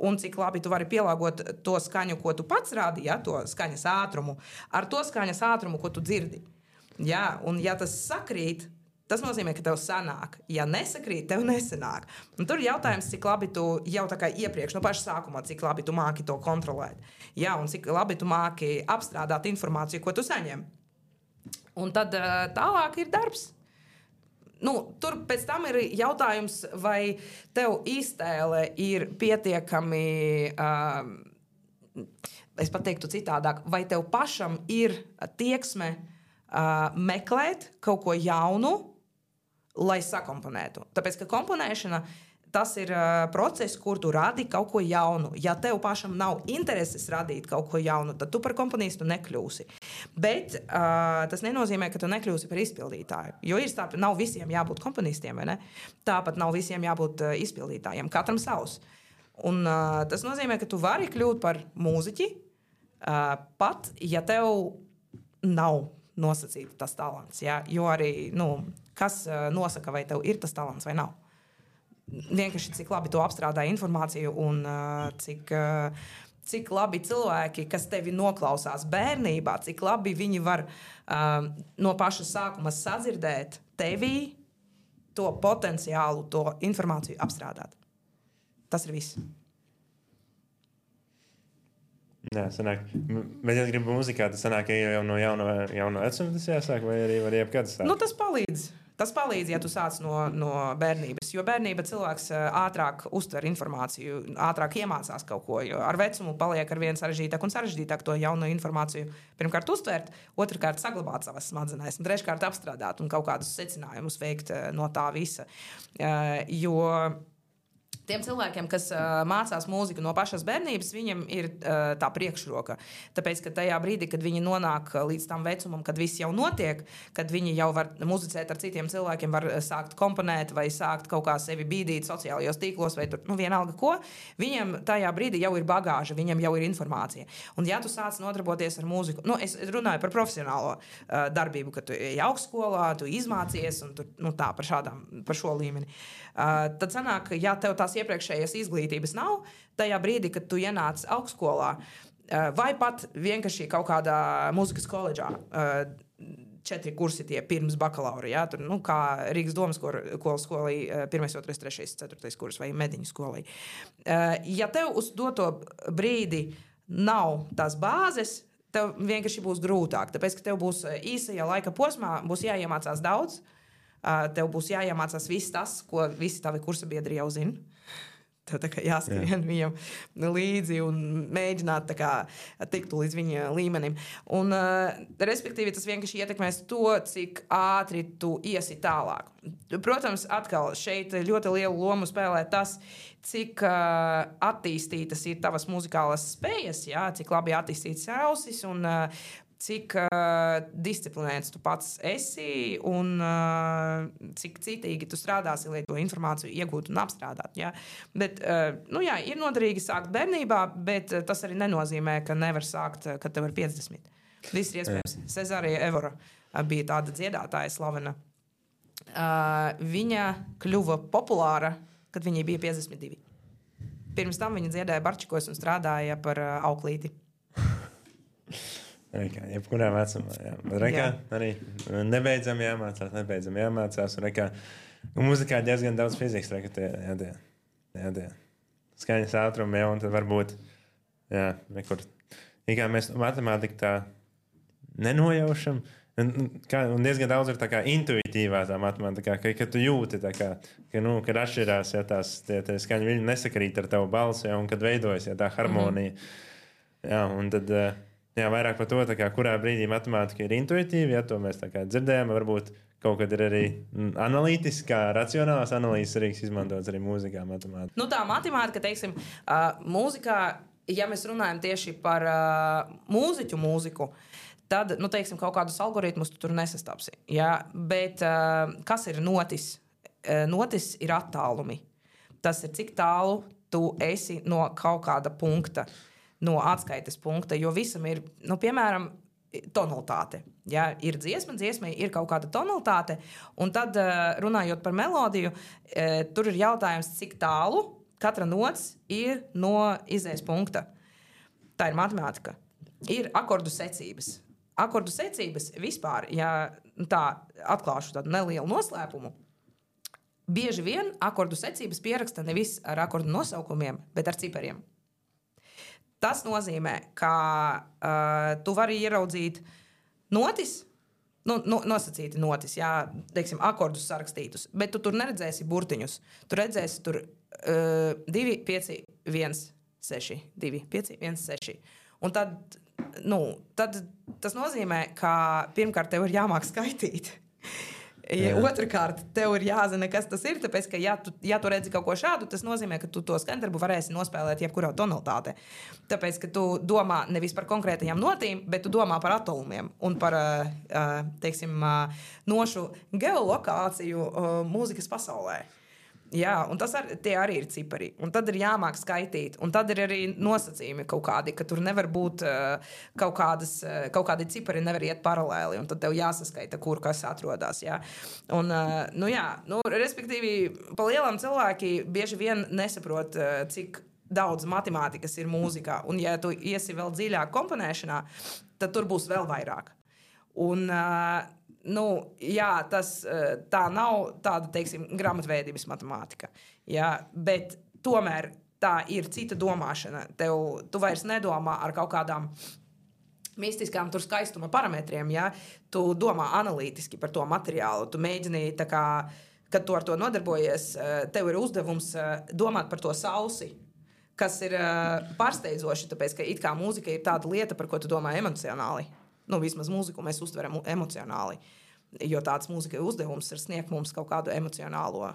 un cik labi tu vari pielāgot to skaņu, ko tu pats rādi, ja? To skaņas ātrumu, ar to skaņas ātrumu, ko tu dzirdi. Jā, un ja tas sakrīt, tas nozīmē, ka tev sanāk. Ja nesakrīt, tev nesanāk. Un tur ir jautājums, cik labi tu jau tā kā iepriekš, no paša sākumā, cik labi tu māki to kontrolēt. Jā, un cik labi tu māki apstrādāt informāciju, ko tu saņem. Un tad tālāk ir darbs. Nu, tur pēc tam ir jautājums, vai tev iztēle ir pietiekami, uh, es pat teiktu citādāk, vai tev pašam ir tieksme uh, meklēt kaut ko jaunu, lai sakomponētu. Tāpēc, ka komponēšana, tas ir uh, process, kur tu radi kaut ko jaunu. Ja tev pašam nav intereses radīt kaut ko jaunu, tad tu par komponistu nekļūsi. Bet uh, tas nenozīmē, ka tu nekļūsi par izpildītāju. Jo ir stāp, nav visiem jābūt komponistiem, vai ne? Tāpat nav visiem jābūt uh, izpildītājiem. Katram savs. Un uh, tas nozīmē, ka tu vari kļūt par mūziķi, uh, pat ja tev nav nosacīta tas talants. Ja? Jo arī, nu, kas uh, nosaka, vai tev ir tas talants vai nav. Vienkārši cik labi tu apstrādā informāciju un uh, cik, uh, cik labi cilvēki, kas tevi noklausās bērnībā, cik labi viņi var uh, no paša sākuma sadzirdēt tevī to potenciālu, to informāciju apstrādāt. Tas ir viss. Jā, sanāk. Bet, ja gribu muzikā, tad sanāk, ka jau no jauna, jauna vecuma tas jāsāk, vai arī var jebkad sākt? Nu, tas palīdz. Tas palīdz, ja tu sāc no, no bērnības. Jo bērnība cilvēks ātrāk uztver informāciju, ātrāk iemācās kaut ko. Jo ar vecumu paliek ar vien sarežģītāk un sarežģītāk to jaunu informāciju pirmkārt uztvert, otrkārt saglabāt savas smadzenēs un treškārt apstrādāt un kaut kādus secinājumus veikt no tā visa. Jo tiem cilvēkiem, kas uh, mācās mūziku no pašas bērnības, viņiem ir uh, tā priekšroka. Tāpēc, ka tajā brīdī, kad viņi nonāk līdz tam vecumam, kad viss jau notiek, kad viņi jau var muzicēt ar citiem cilvēkiem, var sākt komponēt vai sākt kaut kā sevi bīdīt sociālajos tīklos vai tur, nu, vienalga ko, viņiem tajā brīdī jau ir bagāža, viņiem jau ir informācija. Un ja tu sāc nodarboties ar mūziku, nu, es runāju par profesionālo uh, darbību, ka tu ej augstskolā, tu izmācies un tu, nu, tā, par, šādām, par šo līmeni. Uh, tad sanāk, ja tev tās iepriekšējās izglītības nav, tajā brīdī, kad tu ienāc augstskolā, vai pat vienkārši kaut kādā mūzikas koledžā, četri kursi tie pirms bakalaura, ja? Tur, nu, kā Rīgas domas skolī, pirmais, otrais, trešais, ceturtais kurs vai mediņu skolī. Ja tev uz doto brīdi nav tās bāzes, tev vienkārši būs grūtāk, tāpēc, ka tev būs īsajā laika posmā, būs jāiemācās daudz, tev būs jāiemācās viss tas, ko visi tavi kursa biedri jau zina. Tev tā kā jāskrien Jā. Viņam līdzi un mēģināt tā kā tikt līdz viņa līmenim. Un, uh, respektīvi, tas vienkārši ietekmēs to, cik ātri tu iesi tālāk. Protams, atkal šeit ļoti lielu lomu spēlē tas, cik uh, attīstītas ir tavas muzikālas spējas, jā, cik labi attīstītas ausis un uh, cik uh, disciplinēts tu pats esi un uh, cik citīgi tu strādāsi, lai to informāciju iegūtu un apstrādātu. Ja? Bet, uh, nu jā, ir noderīgi sākt bērnībā, bet uh, tas arī nenozīmē, ka nevar sākt, uh, kad tev ir piecdesmit. Viss ir iespējams. Cezārija Evora uh, bija tāda dziedātāja slavena. Uh, viņa kļuva populāra, kad viņai bija piecdesmit divi. Pirms tam viņa dziedāja barčikos un strādāja par uh, auklīti. Rekā, jebkurā vecumā, jā. Bet rekā jā. Arī nebeidzam jāmācās, nebeidzam jāmācās. Un rekā, un muzikā diezgan daudz fizikas, rekā, tie, jā, tie, jā, tie. Skaņas ātrumi, jā, un tad varbūt, jā, nekur. Ikā mēs matemātiku tā nenojaušam, un, kā, un diezgan daudz ir tā kā intuitīvā tā matemātikā, ka, ka tu jūti tā kā, ka, nu, kad atšķirās, ja tās, tie, tie skaņu viļņi nesakrīt ar tavu balsi, ja, un kad veidojas, ja tā harmonija. Mm-hmm. Jā, un tad... Jā, vairāk par to, kā, kurā brīdī matemātika ir intuitīva, ja to mēs tā kā dzirdējām, varbūt kaut kad ir arī analītiskā, racionālās analīzes rīks izmantots arī mūzikā matemātika. Nu tā matemātika, teiksim, uh, mūzikā, ja mēs runājam tieši par uh, mūziķu mūziku, tad, nu teiksim, kaut kādus algoritmus tu tur nesastāpsi. Ja? Bet uh, kas ir notis? Uh, notis ir attālumi. Tas ir, cik tālu tu esi no kaut kāda punkta. No atskaites punkta, jo visam ir, nu, piemēram, tonalitāte. Ja, ir dziesma, dziesmai ir kaut kāda tonalitāte, un tad, runājot par melodiju, tur ir jautājums, cik tālu katra nots ir no izējas punkta. Tā ir matemātika. Ir akordu secības. Akordu secības vispār, ja tā atklāšu tādu nelielu noslēpumu. Bieži vien akordu secības pieraksta nevis ar akordu nosaukumiem, bet ar cipariem. Tas nozīmē, ka uh, tu vari ieraudzīt notis, nu, nu, nosacīti notis, jā, teiksim, akordus sarakstītus, bet tu tur neredzēsi burtiņus. Tu redzēsi tur uh, divi, pieci, viens, seši, divi, pieci, viens, seši. Un tad, nu, tad tas nozīmē, ka pirmkārt tev ir jāmāk skaitīt. Ja, otrakārt, tev ir jāzina, kas tas ir. Tāpēc, ka, ja tu, ja tu redzi kaut ko šādu, tas nozīmē, ka tu to skaņdarbu varēsi nospēlēt jebkurā tonalitātē. Tāpēc, ka tu domā nevis par konkrētajām notīm, bet tu domā par atolumiem un par teiksim, nošu geolokāciju mūzikas pasaulē. Jā, un tas ar, tie arī ir cipari. Un tad ir jāmāk skaitīt. Un tad ir arī nosacījumi kaut kādi, ka tur nevar būt uh, kaut, kādas, uh, kaut kādi cipari nevar iet paralēli. Un tad tev jāsaskaita, kur kas atrodas. Jā. Un, uh, nu jā, nu, respektīvi, pa lielam cilvēki bieži vien nesaprot, uh, cik daudz matemātikas ir mūzikā. Un ja tu iesi vēl dziļāk komponēšanā, tad tur būs vēl vairāk. Un... Uh, Nu, jā, tas tā nav tāda, teiksim, grāmatveidības matemātika. Jā, bet tomēr tā ir cita domāšana. Tev, tu vairs nedomā ar kaut kādām mistiskām tur skaistuma parametriem. Jā. Tu domā analītiski par to materiālu. Tu mēģini, tā kā, kad tu ar to nodarbojies, tev ir uzdevums domāt par to sausi, kas ir pārsteidzoši, tāpēc, ka it kā mūzika ir tāda lieta, par ko tu domā emocionāli. Nu, vismaz mūziku mēs uztveram emocionāli, jo tāds mūzika uzdevums ir sniegt mums kaut kādu emocionālo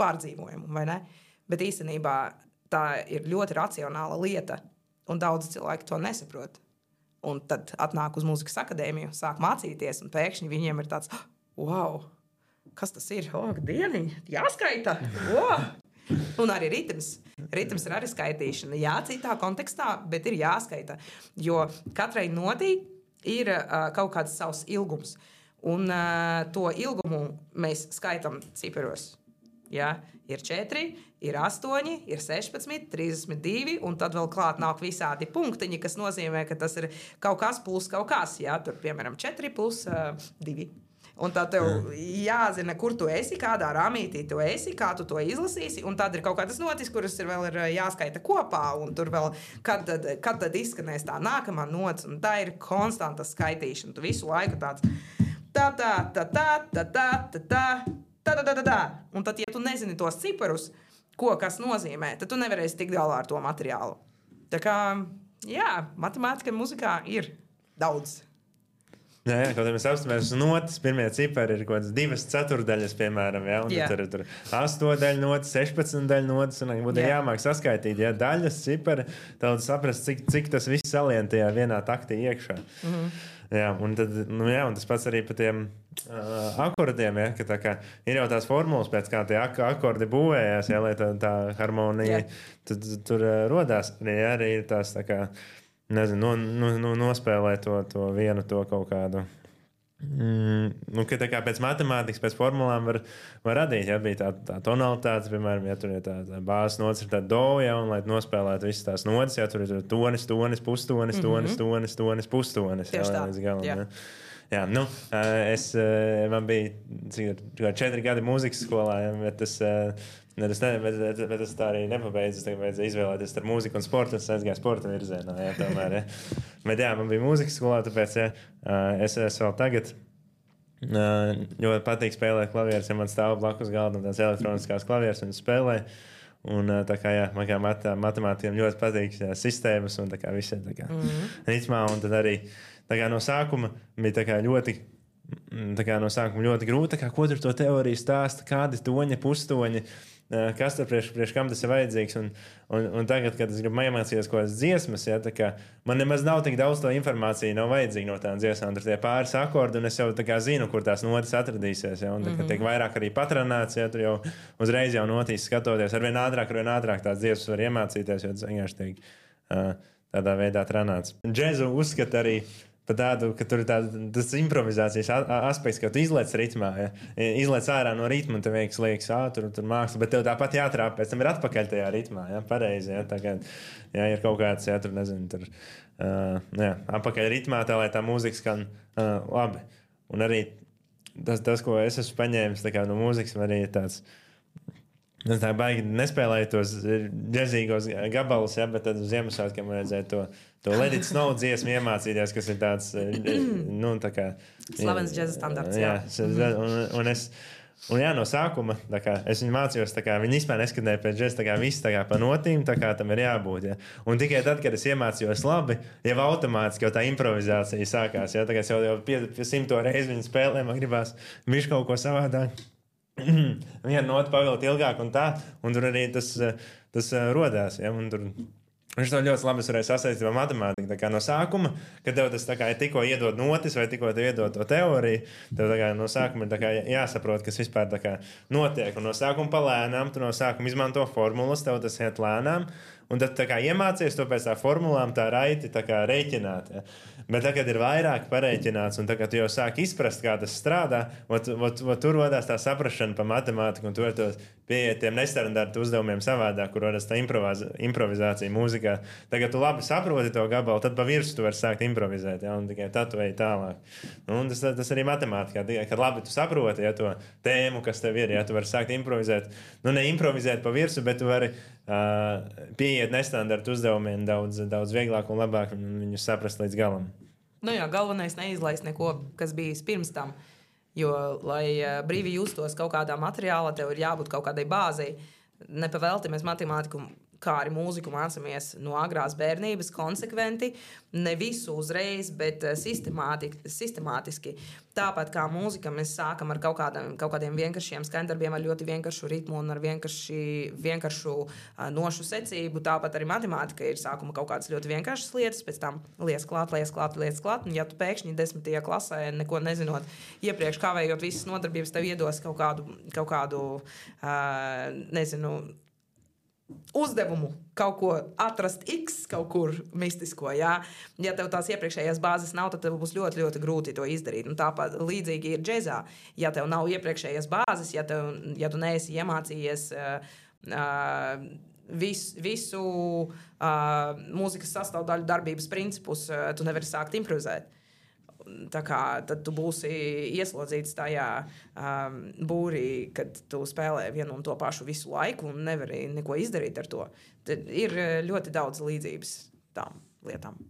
pārdzīvojumu, vai ne? Bet īstenībā tā ir ļoti racionāla lieta, un daudz cilvēki to nesaprot. Un tad atnāk uz mūzikas akadēmiju, sāk mācīties, un pēkšņi viņiem ir tāds, wow, kas tas ir? O, dieniņ, jāskaita! Wow! Un arī ritms. Ritms ir arī skaitīšana. Jā, citā kontekstā, bet ir jāskaita. Jo katrai notī ir uh, kaut kāds savs ilgums. Un uh, to ilgumu mēs skaitam ciparos. Jā, ir četri, ir astoņi, ir sešpadsmit, trīsdesmit divi, un tad vēl klāt nāk visādi punktiņi, kas nozīmē, ka tas ir kaut kas plus kaut kas. Jā, tur, piemēram, četri plus uh, divi. Un tā tev jāzina, kur tu esi, kādā rāmītī tu esi, kā tu to izlasīsi. Un tad ir kaut kādas notis, kuras ir vēl ir jāskaita kopā. Un tur vēl, kad tad, kad tad izskanēs tā nākamā nots. Un tā ir konstanta skaitīšana. Tu visu laiku tāds tā, tā, tā, tā, tā, tā, tā, tā, tā, tā, tā, tā. Un tad, ja tu nezini tos ciparus, ko kas nozīmē, tad tu nevarēsi tikt galā ar to materiālu. Tā kā, jā, matemātika muzikā ir daudz. Jā, jā, kaut kā mēs apstāmies uz notis, pirmie cipari ir kaut kādas divas ceturdaļas, piemēram, jā, un yeah. Tur ir tur astoņdaļu notis, sešpadsmitdaļu notis, un būtu yeah. jāmāk saskaitīt, jā, daļas cipari, tad saprast, cik, cik tas viss salien tajā vienā taktī iekšā. Mm-hmm. Jā, un tad, nu jā, un tas pats arī par tiem uh, akordiem, ja, ka tā kā ir jau tās formulas, pēc kā tie ak- akordi būvējās, ja, lai tā, tā harmonija yeah. tad, tur uh, rodās, arī, arī ir tās tā kā, nezinu, no, no, no, nospēlēt to, to vienu to kaut kādu. Mm, nu, ka tā kā pēc matemātikas, pēc formulām var, var radīt, ja bija tā, tā tonalitāte, piemēram, ja tur ir tā, tā bāzes nots, ir tā do, ja, un lai nospēlētu visas tās notis, ja tur ir tonis, tonis, pustonis, tonis, mm-hmm. tonis, tonis, pustonis. Tieši tā. Līdz galam, jā. Ja. Jā, nu, es, man bija cik, četri gadi mūzikas skolā, ja, bet tas... Ne, tas, ne, bet, bet, bet tas tā arī nepabeidzas. Tagad vajadzēja izvēlēties starp mūziku un sportu. Es aizgāju sporta virzienā. Jā, tomēr, ja. Bet jā, man bija mūzikas skolā, tāpēc ja, es, es vēl tagad ļoti patīk spēlēt klavierus. Ja man stāv blakus galda tās elektroniskās klavieres un spēlē. Un tā kā, jā, man kā mat, matemātikiem ļoti patīk jā, sistēmas un tā kā visi tā kā mm-hmm. ritmā. Un tad arī tā kā no sākuma bija tā kā ļoti tā kā no sākuma ļoti grūti, kā, ko tur to teoriju stāsta, kādi toņi, pustoņi, kas tur priekš, priekš kam tas ir vajadzīgs. Un, un, un tagad, kad es gribu iemācīties kaut kādas dziesmas, ja, tā kā man nemaz nav tik daudz to informāciju, nav vajadzīga no tām dziesmām. Tur tie pāris akordi, un es jau tā kā zinu, kur tās notis atradīsies. Ja, un tā kā tiek vairāk arī patronāts, ja, tur jau uzreiz jau notīs skatoties. Arvien ātrāk, arvien ātrāk tās dziesmas var iemācīties, jo tas vienkārši tiek uh, tādā veidā tranāts. Džezu uzskata arī par tādu, ka tur ir tāda, tas improvizācijas aspekts, ka tu izlaic ritmā, ja? Izlaic ārā no ritma, un tev liekas, liekas, ā, tur, tur māksla, bet tev tāpat jātrāp, pēc tam ir atpakaļ tajā ritmā, ja? Pareizi, ja? Tā kā, ja ir kaut kāds, ja, tur, nezinu, tur, uh, jā, atpakaļ ritmā, tā, lai tā mūzika skan uh, labi. un arī tas, tas, ko es esmu paņēmis kā, no mūzikas, arī ir tāds. Es tā baigi nespēlēju tos džezīgos gabalus, ja, bet tad uz Ziemassvētkiem vajadzēja to, to Let It Snow dziesmu iemācīties, kas ir tāds, nu, tā kā... Slavens džeza standarts, jā. jā un, un es, un jā, no sākuma, tā kā, es viņu mācījos, tā kā, viņi vispār neskatināja pēc džeza, tā kā viss tā kā pa notīm, tā kā tam ir jābūt, ja. Un tikai tad, kad es iemācījos labi, jau automātiski jau tā improvizācija sākās, ja, tā kā es jau, jau pie, pie simto reizi viņu spēlēju, man gribās viņš kaut ko savādāk. Viena nota pavilkt ilgāk un tā, un tur arī tas, tas rodās, ja, un tur viņš to ļoti labi varēja sasaistīt ar matemātiku. Tā kā no sākuma, kad tev tas tā kā tikko iedod notis vai tikko tev iedod to teoriju, tev tā kā no sākuma ir tā kā jāsaprot, kas vispār tā kā notiek. Un no sākuma pa lēnām, tu no sākuma izmanto formulas, tev tas iet lēnām, un tad tā kā iemācies to pēc tā formulām tā raiti tā kā reiķināt. Ja. Bet tagad ir vairāk pareiķināts, un tagad tu jau sāk izprast, kā tas strādā, ot, ot, ot, tur rodās tā saprašana pa matemātiku, un tu vari tos pieiet tiem nestandarta uzdevumiem savādāk, kur rodās tā improvizācija mūzikā. Tagad tu labi saproti to gabalu, tad pa virsu tu vari sākt improvizēt, ja, un tikai tad tu ej tālāk. Un tas, tas arī matemātikā, kad labi tu saproti, ja, to tēmu, kas tev ir, ja tu vari sākt improvizēt, nu ne improvizēt pa virsu, bet tu vari uh, pieiet nestandarta uzdevumiem daudz, daudz vieglāk un labāk viņus saprast līdz galam. Nu jā, galvenais neizlaist neko, kas bijis pirms tam. Jo, lai brīvi justos kaut kādā materiālā, tev ir jābūt kaut kādai bāzei. Nepavēlti mēs matemātiku, kā arī mūziku mācāmies no agrās bērnības konsekventi, ne visu uzreiz, bet sistemātiski. Tāpat kā mūzika, mēs sākam ar kaut kādiem, kaut kādiem vienkāršiem skaņdarbiem, ar ļoti vienkāršu ritmu un ar vienkārši, vienkāršu uh, nošu secību. Tāpat arī matemātika ir sākuma kaut kādas ļoti vienkāršas lietas, pēc tam liec klāt, liec klāt, liec klāt. Un ja tu pēkšņi desmitajā klasē, neko nezinot, iepriekš kavējot visas nodarbības, tev iedos kaut kādu, kaut kādu uh, nezinu, uzdevumu kaut ko atrast X kaut kur mistisko, jā. Ja tev tās iepriekšējās bāzes nav, tad tev būs ļoti, ļoti grūti to izdarīt. Un tāpat līdzīgi ir džezā. Ja tev nav iepriekšējās bāzes, ja, tev, ja tu neesi iemācījies uh, uh, vis, visu uh, mūzikas sastāvdaļu darbības principus, uh, tu nevari sākt improvizēt. Tā kā tad tu būsi ieslodzīts tajā um, būrī, kad tu spēlē vienu un to pašu visu laiku un nevari neko izdarīt ar to. Tad ir ļoti daudz līdzības tām lietām.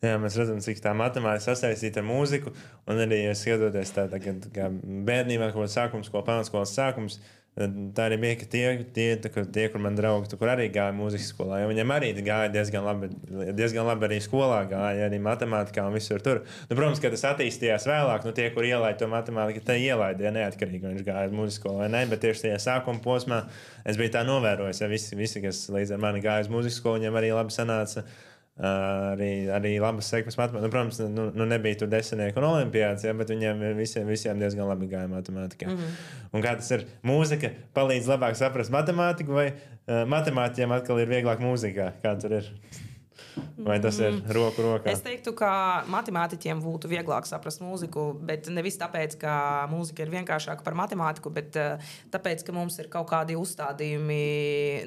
Jā, mēs redzam, cik tā matemātika sasaistīta ar mūziku, un arī skatoties tā, tā kā bērnībā, kaut kāds sākums, ko pamatskolas sākums, tā arī bija, ka tie, tie, tā, tie kur man draugi, tu, kur arī gāja mūzikas skolā, jo viņam arī gāja diezgan labi, diezgan labi arī skolā gāja, arī matemātikā un visur tur. Nu, protams, ka tas attīstījās vēlāk, nu tie, kur ielaida to matemātiku, te ielaida, ja neatkarīgi viņš gāja mūzikas skolā vai ne, bet tieši tajā sākuma posmā es biju tā novērojis, ja visi, visi, kas līdz ar mani gāja uz mūzikas skolu, viņiem arī labi sanāca. Uh, arī, arī labas sekmes matemātikā. Nu, protams, nu, nu nebija tur desmitnieki un olimpiāds, ja, bet viņiem visiem, visiem diezgan labi gāja matemātikā. Mm-hmm. Un kā tas ir? Mūzika palīdz labāk saprast matemātiku, vai uh, matemātiķiem atkal ir vieglāk mūzikā? Kā tur ir? Vai tas ir roku rokā? Es teiktu, ka matemātiķiem būtu vieglāk saprast mūziku, bet nevis tāpēc, ka mūzika ir vienkāršāka par matemātiku, bet uh, tāpēc, ka mums ir kaut kādi uzstādījumi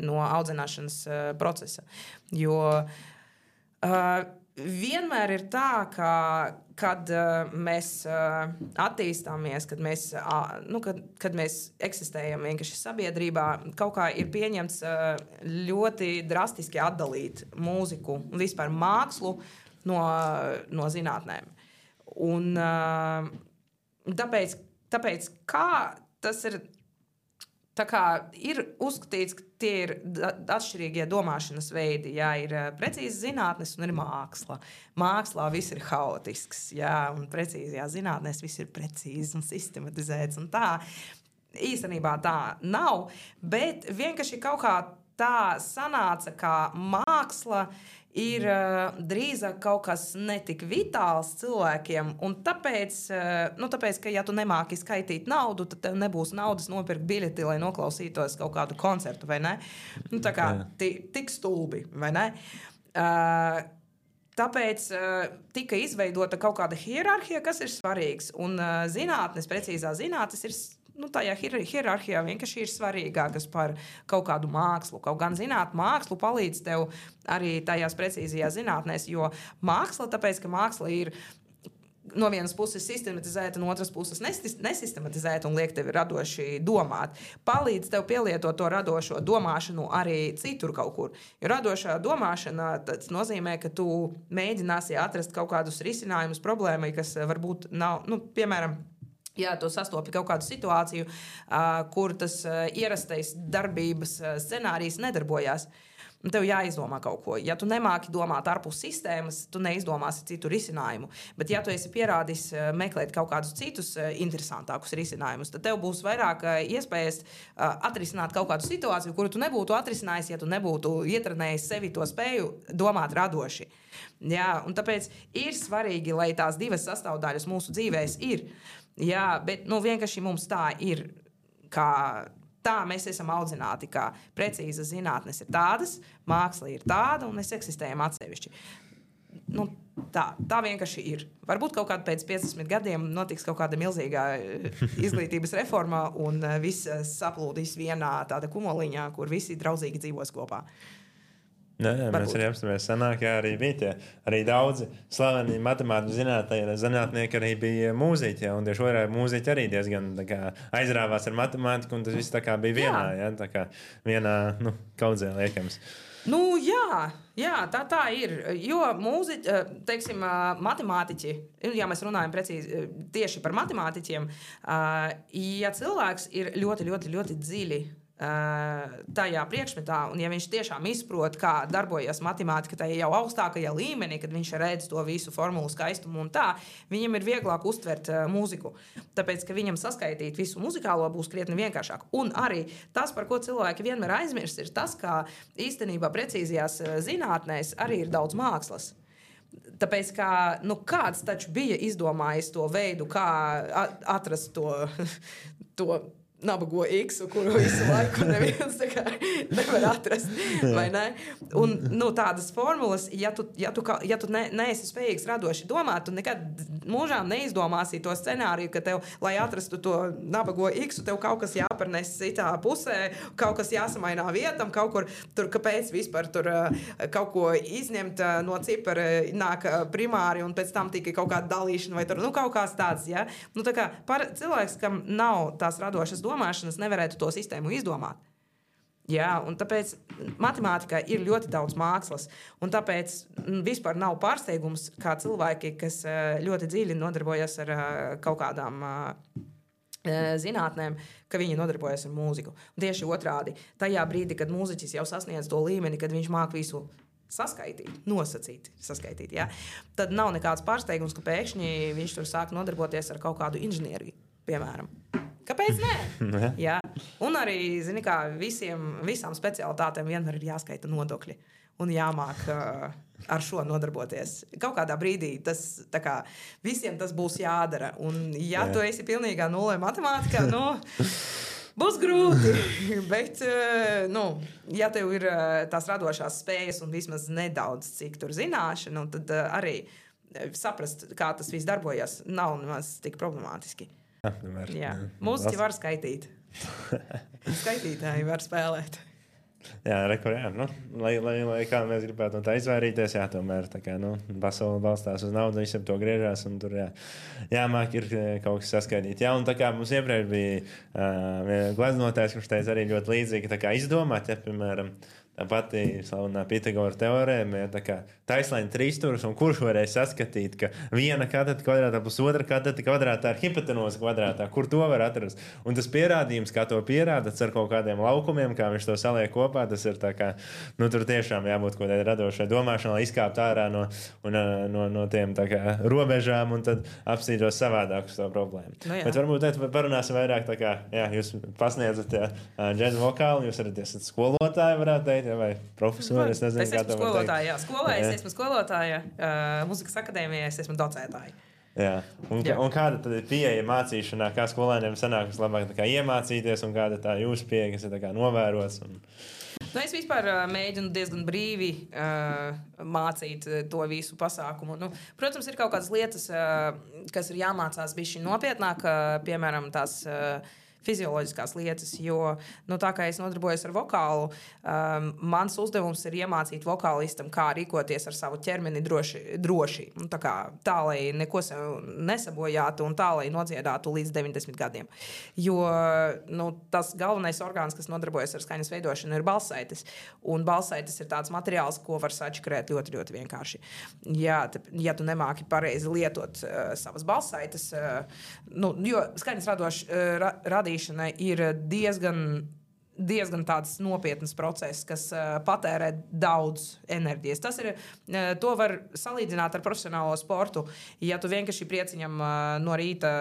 no audzināšanas uh, procesa. Jo Uh, vienmēr ir tā, ka, kad uh, mēs uh, attīstāmies, kad mēs, uh, nu, kad, kad mēs eksistējam vienkārši sabiedrībā, kaut kā ir pieņemts uh, ļoti drastiski atdalīt mūziku un vispār mākslu no, no zinātnēm. Un uh, tāpēc, tāpēc kā tas ir, tā kā ir uzskatīts, ka tie ir atšķirīgie domāšanas veidi. Jā, ir precīzi zinātnes un ir māksla. Mākslā viss ir haotisks, jā, un precīzajā zinātnēs viss ir precīzi un sistematizēts. Un tā īstenībā tā nav, bet vienkārši kaut kā tā sanāca, ka māksla ir uh, drīzāk kaut kas netik vitāls cilvēkiem, un tāpēc, uh, nu, tāpēc, ka ja tu nemāki skaitīt naudu, tad tev nebūs naudas nopirkt biļeti, lai noklausītos kaut kādu koncertu, vai ne? Nu, tā kā t- tik stulbi, vai ne? Uh, tāpēc uh, tika izveidota kaut kāda hierarhija, kas ir svarīgs, un uh, zinātnes, precīzā zinātnes ir nu, tajā hier- hierarhijā vienkārši ir svarīgākas par kaut kādu mākslu. Kaut gan zināt, mākslu palīdz tev arī tajās precīzajās zinātnēs, jo māksla, tāpēc, ka māksla ir no vienas puses sistematizēt, no otras puses nesistematizēt un liek tevi radoši domāt. Palīdz tev pielietot to radošo domāšanu arī citur kaut kur. Jo radošā domāšana tas nozīmē, ka tu mēģināsi atrast kaut kādus risinājumus problēmai, kas varbūt nav, nu, piemēram, ja tu sastopi kaut kādu situāciju, kur tas ierastais darbības scenārijs nedarbojās. Un tev jāizdomā kaut ko. Ja tu nemāki domāt ārpus sistēmas, tu neizdomāsi citu risinājumu. Bet ja tu esi pierādījis meklēt kaut kādus citus interesantākus risinājumus, tad tev būs vairāk iespējas atrisināt kaut kādu situāciju, kuru tu nebūtu atrisinājis, ja tu nebūtu ietrenējis sevi to spēju domāt radoši. Jā, un tāpēc ir svarīgi, lai tās divas sastāvdaļas mūsu dzīvēs ir. Jā, bet nu, vienkārši mums tā ir kā... Tā mēs esam audzināti, ka precīzas zinātnes ir tādas, māksla ir tāda, un mēs eksistējam atsevišķi. Nu, tā, tā vienkārši ir. Varbūt kaut kādā pēc piecdesmit gadiem notiks kaut kāda milzīga izglītības reforma, un viss saplūdīs vienā tāda kumoliņā, kur visi draudzīgi dzīvos kopā. Jā, jā, mēs arī apstāmies senāk, jā, arī bija tie, arī daudzi slaveni matemātiķi zinātnieki, zinātnieki arī bija mūziķi, jā, un tieši otrādi mūziķi arī diezgan tā kā aizrāvās ar matemātiku, un tas viss tā kā bija vienā, jā, tā kā vienā, nu, kaudzē liekams. Nu, jā, jā, tā tā ir, jo mūziķi, teiksim, matemātiķi, ja mēs runājam precīzi tieši par matemātiķiem, ja cilvēks ir ļoti, ļoti, ļoti dziļi tajā priekšmetā, un ja viņš tiešām izprot, kā darbojas matemātika tajā jau augstākajā līmenī, kad viņš redz to visu formulu skaistumu un tā, viņam ir vieglāk uztvert uh, mūziku. Tāpēc, ka viņam saskaitīt visu muzikālo būs krietni vienkāršāk. Un arī tas, par ko cilvēki vienmēr aizmirst, ir tas, ka īstenībā precīzajās zinātnēs arī ir daudz mākslas. Tāpēc, ka, nu, kāds taču bija izdomājis to veidu, kā atrast to, to nabago X, kuru visu laiku neviens kā, nevar atrast. Vai ne? Un nu, tādas formulas, ja tu, ja tu, ja tu ne, neesi spējīgs radoši domāt, tu nekad mūžām neizdomāsi to scenāriju, ka tev, lai atrastu to nabago X, tev kaut kas jāparnes citā pusē, kaut kas jāsamainā vietam, kaut kur tur, kāpēc vispār tur kaut ko izņemt no cipara nāk primāri un pēc tam tikai kaut kāda dalīšana vai tur, nu, kaut kāds tāds, ja? Nu, tā kā par, cilvēks, kam nav tās radošas domāšanas, nevarētu to sistēmu izdomāt. Jā, un tāpēc matemātikā ir ļoti daudz mākslas, un tāpēc vispār nav pārsteigums, kā cilvēki, kas ļoti dziļi nodarbojas ar kaut kādām zinātnēm, ka viņi nodarbojas ar mūziku. Un tieši otrādi, tajā brīdī, kad mūziķis jau sasniedz to līmeni, kad viņš māk visu saskaitīt, nosacīt, saskaitīt, jā, tad nav nekāds pārsteigums, ka pēkšņi viņš tur sāk nodarboties ar kaut kādu inženieriju, piemēram. Kāpēc nē? Jā. Un arī, zini kā, visiem, visām specialitātēm vienmēr ir jāskaita nodokļi un jāmāk uh, ar šo nodarboties. Kaut kādā brīdī tas, tā kā, visiem tas būs jādara. Un ja Jā. Tu esi pilnīgā nulē matemātikā, nu, būs grūti. Bet, uh, nu, ja tev ir uh, tās radošās spējas un vismaz nedaudz cik tur zināšanu, tad uh, arī saprast, kā tas viss darbojas, nav nemaz tik problemātiski. Apmēr, jā. Mūziķi var skaitīt. Skaitītāji var spēlēt. Jā, rekur, jā. Nu, lai, lai, lai kā mēs gribētu no tā izvairīties, jā, tomēr tā kā, nu, pasaule balstās uz naudu, visam to griežās, un tur, jā, jāmāk ir kaut kas saskaidīt. Jā, un tā kā mums iepriekš bija uh, gleznotājs, kurš teica arī ļoti līdzīgi, tā kā izdomāt, ja, piemēram, tā pati slavenā Pitagora teorēma, ja, tā kā taisnlaini trīsstūris, un kurš varēja saskatīt, ka viena kateta kvadrātā plus otra kateta kvadrātā ir hipotenuza kvadrātā, kur to var atrast. Un tas pierādījums, kā to pierādats ar kaut kādiem laukumiem, kā viņš to saliek kopā, tas ir tā kā, nu tur tiešām jābūt kaut kādai radošai domāšanai, lai izkāpt ārā no, un, no, no tiem tā kā robežām un tad apstītos savādāk uz to problēmu. Nu, bet varbūt tēt, parunāsim vairāk tā kā, jā, jūs pasniedzat jā, džēzu vokālu, jūs arī esat skolotāji, varētu teikt, vai profesori, es nezinu, es kā to var teikt. Jā, skolā es esmu skolotāja, uh, muzikas akadēmijā es esmu docētāja. Jā. Un, Jā. Un kāda tad ir pieeja mācīšanā, kā skolēniem sanāk vislabāk tā kā iemācīties un kāda tā jūsu pieeja, kas ir tā kā novērots? Un... Nu, es vispār uh, mēģinu diezgan brīvi uh, mācīt uh, to visu pasākumu. Nu, protams, ir kaut kādas lietas, uh, kas ir jāmācās bišķi nopietnāk, uh, piemēram, tās... Uh, fizioloģiskās lietas, jo nu, tā kā es nodarbojos ar vokālu, um, mans uzdevums ir iemācīt vokālistam, kā rīkoties ar savu ķermeni droši, droši. Un tā, kā, tā, lai neko sev nesabojātu un tā, lai nodziedātu līdz deviņdesmit gadiem. Jo nu, tas galvenais orgāns, kas nodarbojas ar skaņas veidošanu, ir balssaites. Un balssaites ir tāds materiāls, ko var sačakrēt ļoti, ļoti vienkārši. Ja, te, ja tu nemāki pareizi lietot uh, savas balssaites, uh, nu, jo skaņas radoš, uh, ra, radīšana ir diezgan, diezgan tāds nopietns process, kas uh, patērē daudz enerģijas. Tas ir, uh, to var salīdzināt ar profesionālo sportu. Ja tu vienkārši prieciņam uh, no rīta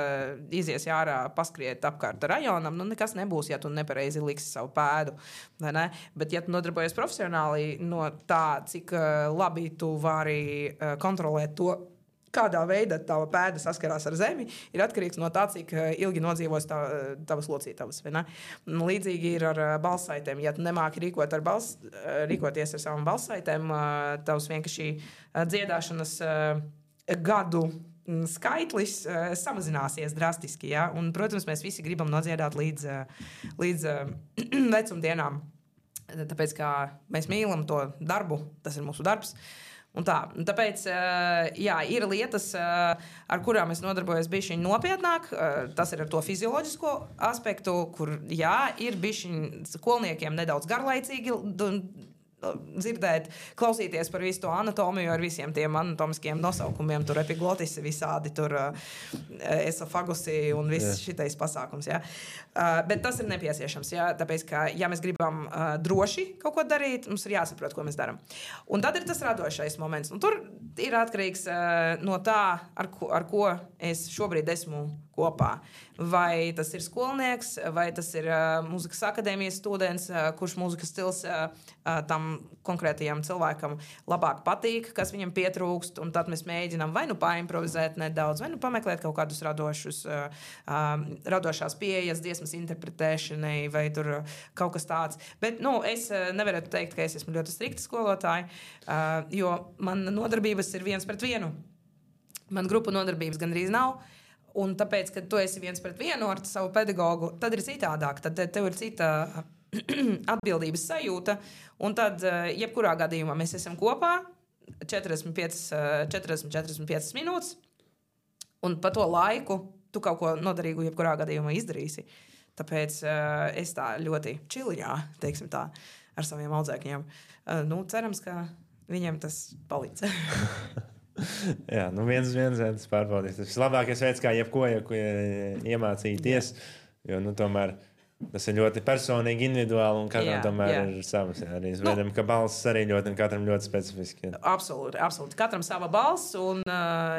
izies ārā paskriet apkārt rajonam, nu nekas nebūs, ja tu nepareizi liksi savu pēdu. Ne? Bet, ja tu nodarbojies profesionāli no tā, cik uh, labi tu vari uh, kontrolēt to, kādā veidā tava pēda saskarās ar zemi, ir atkarīgs no tā, cik ilgi nodzīvos tā, tavas locītavas. Līdzīgi ir ar balssaitēm. Ja tu nemāki rīkot ar bals, rīkoties ar savām balssaitēm, tavs vienkārši dziedāšanas gadu skaitlis samazināsies drastiski. Ja? Un, protams, mēs visi gribam nodziedāt līdz, līdz vecumdienām. Tāpēc, kā mēs mīlam to darbu, tas ir mūsu darbs. Un tā, un tāpēc jā, ir lietas, ar kurām es nodarbojos bišķiņ nopietnāk. Tas ir ar to fizioloģisko aspektu, kur jā, ir bišķiņ skolniekiem nedaudz garlaicīgi dzirdēt, klausīties par visu to anatomiju ar visiem tiem anatomiskiem nosaukumiem, tur epiglotisi visādi, tur esofagusi un viss šitais pasākums. Ja. Bet tas ir nepieciešams, ja, tāpēc, ka ja mēs gribam droši kaut ko darīt, mums ir jāsaprot, ko mēs daram. Un tad ir tas radošais moments. Un tur ir atkarīgs no tā, ar ko, ar ko es šobrīd esmu kopā. Vai tas ir skolnieks, vai tas ir uh, mūzikas akadēmijas students, uh, kurš mūzikas stils uh, uh, tam konkrētajam cilvēkam labāk patīk, kas viņam pietrūkst, un tad mēs mēģinām vai nu paimprovizēt nedaudz, vai nu pameklēt kaut kādus radošus, uh, um, radošās pieejas dziesmas interpretēšanai, vai tur uh, kaut kas tāds. Bet, nu, es uh, nevaru teikt, ka es esmu ļoti strikta skolotāja, uh, jo man nodarbības ir viens pret vienu. Man grupu nodarbības gandrīz nav. Un tāpēc, kad tu esi viens pret vienu ar savu pedagogu, tad ir citādāk. Tad tev ir cita atbildības sajūta. Un tad, jebkurā gadījumā, mēs esam kopā četrdesmit piecas, četrdesmit, četrdesmit piecas minūtes. Un pa to laiku tu kaut ko noderīgu jebkurā gadījumā izdarīsi. Tāpēc es tā ļoti čiliņā, teiksim tā, ar saviem audzēkņiem. Nu, cerams, ka viņiem tas palīdz. Jā, nu viens uz viens tas pārbaudīt. Tas ir labākais veids, kā jebko ja, iemācīties, jo, nu, tomēr tas ir ļoti personīgi, individuāli, un katram jā, tomēr jā. Ir savas. Jā, arī zvedam, nu, ka balss arī ļoti, un katram ļoti specifiski. Jā. Absolūti, absolūti. Katram sava balss, un,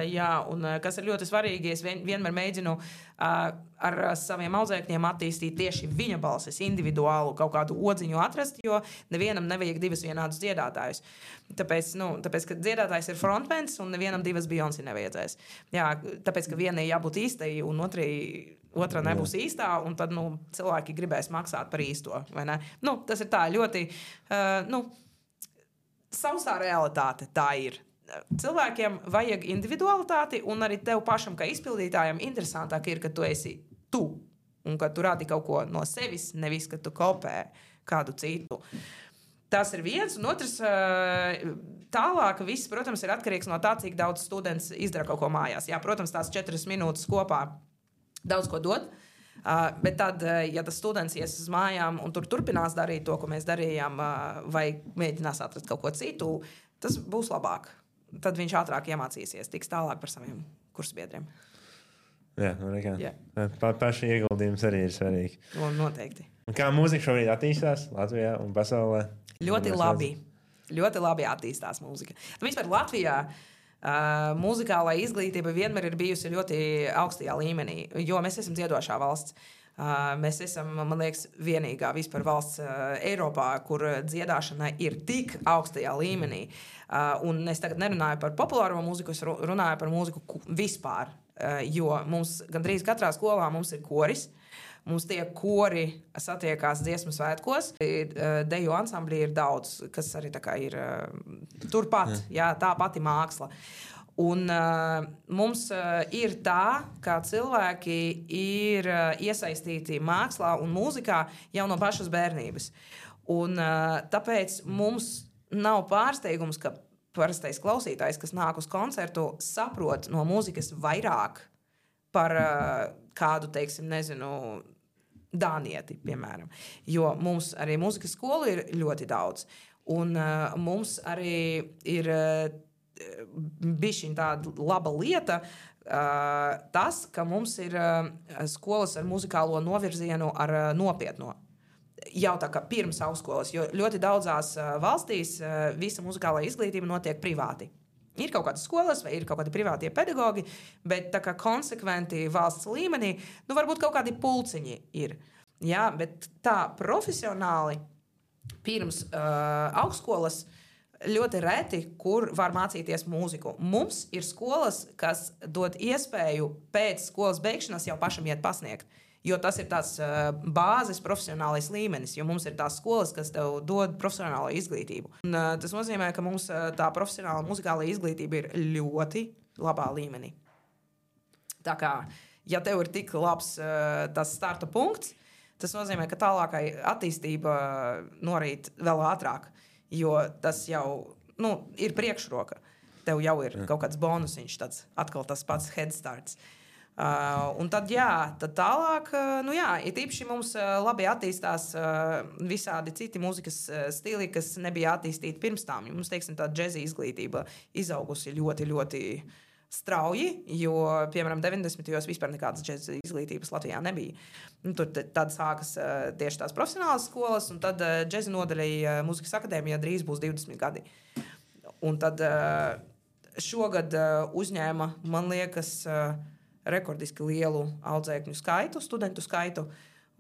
jā, un kas ir ļoti svarīgi, es vien, vienmēr mēģinu ar saviem audzēkņiem attīstīt tieši viņa balsis, individuālu kaut kādu odziņu atrast, jo nevienam nevajag divas vienādus dziedātājus. Tāpēc, nu, tāpēc, ka dziedātājs ir frontmens, un nevienam divas Beyoncé nevajadzēs. Jā, tāpēc, ka vienai jābūt īstai, un otrai otra nebūs Jā. Īstā, un tad nu, cilvēki gribēs maksāt par īsto. Vai ne? Nu, tas ir tā ļoti uh, nu, sausā realitāte. Tā ir. Cilvēkiem vajag individualitāti, un arī tev pašam, kā izpildītājam, interesantāk ir, ka tu esi tu, un ka tu rādi kaut ko no sevis, nevis, ka tu kopē kādu citu. Tas ir viens, un otrs, tālāk viss, protams, ir atkarīgs no tā, cik daudz students izdara kaut ko mājās. Jā, protams, tās četras minūtes kopā daudz ko dod, uh, bet tad, uh, ja tas students ies uz mājām un tur turpinās darīt to, ko mēs darījām, uh, vai mēģinās atrast kaut ko citu, tas būs labāk. Tad viņš ātrāk iemācīsies, tiks tālāk par saviem kursbiedriem. Jā, nu nekā. Yeah. Pa, paši ieguldījums arī ir svarīgi. Un noteikti. Un kā mūzika šobrīd attīstās Latvijā un pasaulē? Ļoti labi. Ļoti labi attīstās mūzika. Nu, vispār Latvijā Uh, mūzikālā izglītība vienmēr ir bijusi ļoti augstajā līmenī, jo mēs esam dziedošā valsts. Uh, mēs esam, man liekas, vienīgā vispār valsts uh, Eiropā, kur dziedāšana ir tik augstajā līmenī. Uh, un es tagad nerunāju par populāro mūziku, es runāju par mūziku vispār, uh, jo mums gandrīz katrā skolā mums ir koris. Mums tie kori satiekās dziesmu svētkos. Deju ansamblī ir daudz, kas arī tā kā ir turpat, jā, tā pati māksla. Un uh, mums uh, ir tā, kā cilvēki ir uh, iesaistīti mākslā un mūzikā jau no pašas bērnības. Un, uh, tāpēc mums nav pārsteigums, ka parastais klausītājs, kas nāk uz koncertu, saprot no mūzikas vairāk par uh, kādu, teiksim, nezinu, dānieti, piemēram. Jo mums arī mūzikas skolu ir ļoti daudz. Un uh, mums arī ir... Uh, bišķiņ tāda laba lieta, uh, tas, ka mums ir uh, skolas ar muzikālo novirzienu ar uh, nopietno. Jau tā kā pirms augstskolas, jo ļoti daudzās uh, valstīs uh, visa muzikālā izglītība notiek privāti. Ir kaut kādas skolas vai ir kaut kādi privātie pedagogi, bet tā kā konsekventi valsts līmenī, nu varbūt kaut kādi pulciņi ir. Jā, bet tā profesionāli pirms uh, augstskolas ļoti reti, kur var mācīties mūziku. Mums ir skolas, kas dod iespēju pēc skolas beigšanas jau pašam iet pasniegt. Jo tas ir tās uh, bāzes profesionālais līmenis, jo mums ir tās skolas, kas tev dod profesionālo izglītību. Un, uh, tas nozīmē, ka mums uh, tā profesionāla muzikāla izglītība ir ļoti labā līmenī. Tā kā, ja tev ir tik labs uh, tas starta punkts, tas nozīmē, ka tālākai attīstība norīt vēl ātrāk. Jo tas jau nu, ir priekšroka. Tev jau ir kaut kāds bonusiņš, tāds atkal tas pats head starts. Uh, un tad, jā, tad tālāk, uh, nu jā, it īpaši mums uh, labi attīstās uh, visādi citi mūzikas uh, stili, kas nebija attīstīti pirms tam. Mums, teiksim, tā džeza izglītība izaugusi ļoti, ļoti strauji, jo, piemēram, deviņdesmitajos vispār nekādas džeza izglītības Latvijā nebija. Nu, tur tad sākas uh, tieši tās profesionālas skolas, un tad uh, džeza nodaļai uh, Mūzikas akadēmijā drīz būs divdesmit gadi. Un tad uh, šogad uh, uzņēma, man liekas, uh, rekordiski lielu audzēkņu skaitu, studentu skaitu.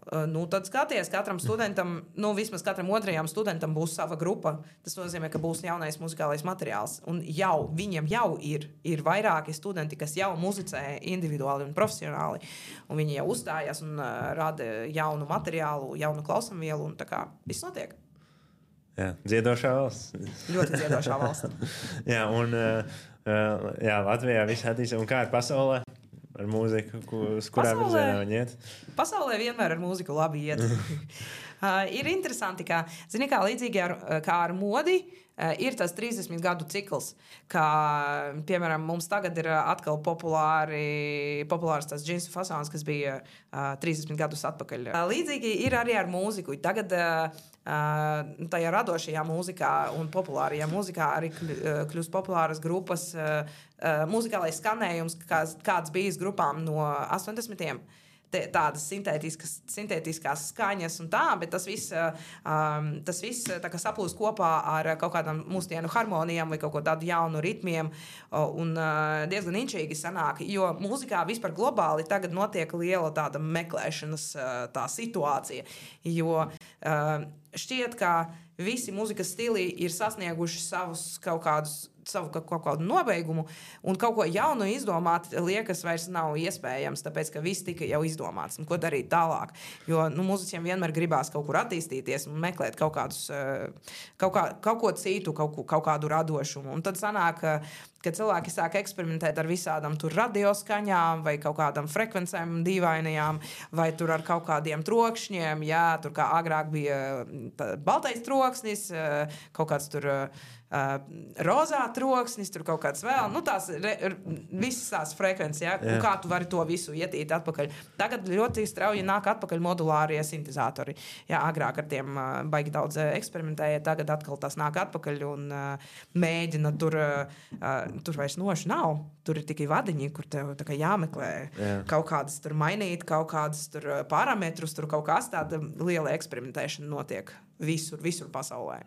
Uh, nu, tad skaties, katram studentam, nu, vismaz katram otrajam studentam būs sava grupa. Tas nozīmē, ka būs jaunais muzikālais materiāls. Un jau, viņiem jau ir, ir vairāki studenti, kas jau muzicē individuāli un profesionāli. Un viņi jau uzstājas un uh, rada jaunu materiālu, jaunu klausamvielu, un tā kā viss notiek. Jā, dziedošā valsts. Ļoti dziedošā valsts. Jā, un uh, jā, Latvijā viss attīstās. Un kā ir pasaulē? Ar mūziku, uz kurā virzienā viņi iet? Pasaulē vienmēr ar mūziku labi iet. uh, ir interesanti, ka, zini, kā līdzīgi ar, kā ar modi, uh, ir tas trīsdesmit gadu cikls, kā, piemēram, mums tagad ir atkal populāri, populārs tas džinsu fasons, kas bija uh, trīsdesmit gadus atpakaļ. Uh, līdzīgi ir arī ar mūziku. Tagad uh, uh, tajā radošajā mūzikā un populārajā mūzikā arī kļūst populāras grupas, uh, Uh, muzikālais skanējums, kāds, kāds bijis grupām no astoņdesmitiem. Te, tādas sintētiskas, sintētiskās skaņas un tā, bet tas viss, um, tas viss tā kā saplūst kopā ar kaut kādām mūsdienu harmonijām vai kaut ko tādu jaunu ritmiem un uh, diezgan inčīgi sanāk, jo mūzikā vispār globāli tagad notiek liela tāda meklēšanas uh, tā situācija, jo uh, šķiet, ka visi mūzikas stili ir sasnieguši savus kaut kādus savu kaut kādu nobeigumu, un kaut ko jaunu izdomāt liekas vairs nav iespējams, tāpēc, ka viss tika jau izdomāts. Un ko darīt tālāk? Jo, nu, mūziķiem vienmēr gribās kaut kur attīstīties un meklēt kaut kādus, kaut, kā, kaut ko citu, kaut, kaut kādu radošumu. Un tad sanāk, ka cilvēki sāk eksperimentēt ar visādām tur radioskaņām vai kaut kādām frekvencēm dīvainajām, vai tur ar kaut kādiem trokšņiem, jā, tur kā agrāk bija baltais troksnis, kaut kāds tur Uh, rozā troksnis, tur kaut kāds vēl, nu tās re, visas tās frekvences, ja, yeah. Kā tu vari to visu ietīt atpakaļ. Tagad ļoti strauji nāk atpakaļ modulārie sintezatori. Jā, agrāk ar tiem uh, baigi daudz uh, eksperimentēja, tagad atkal tas nāk atpakaļ un uh, mēģina tur, uh, tur vairs noši nav. Tur ir tikai vadiņi, kur tev tā kā jāmeklē yeah. kaut kādas tur mainīt, kaut kādas tur parametrus, tur kaut kāds tāda liela eksperimentēšana notiek visur, visur pasaulē.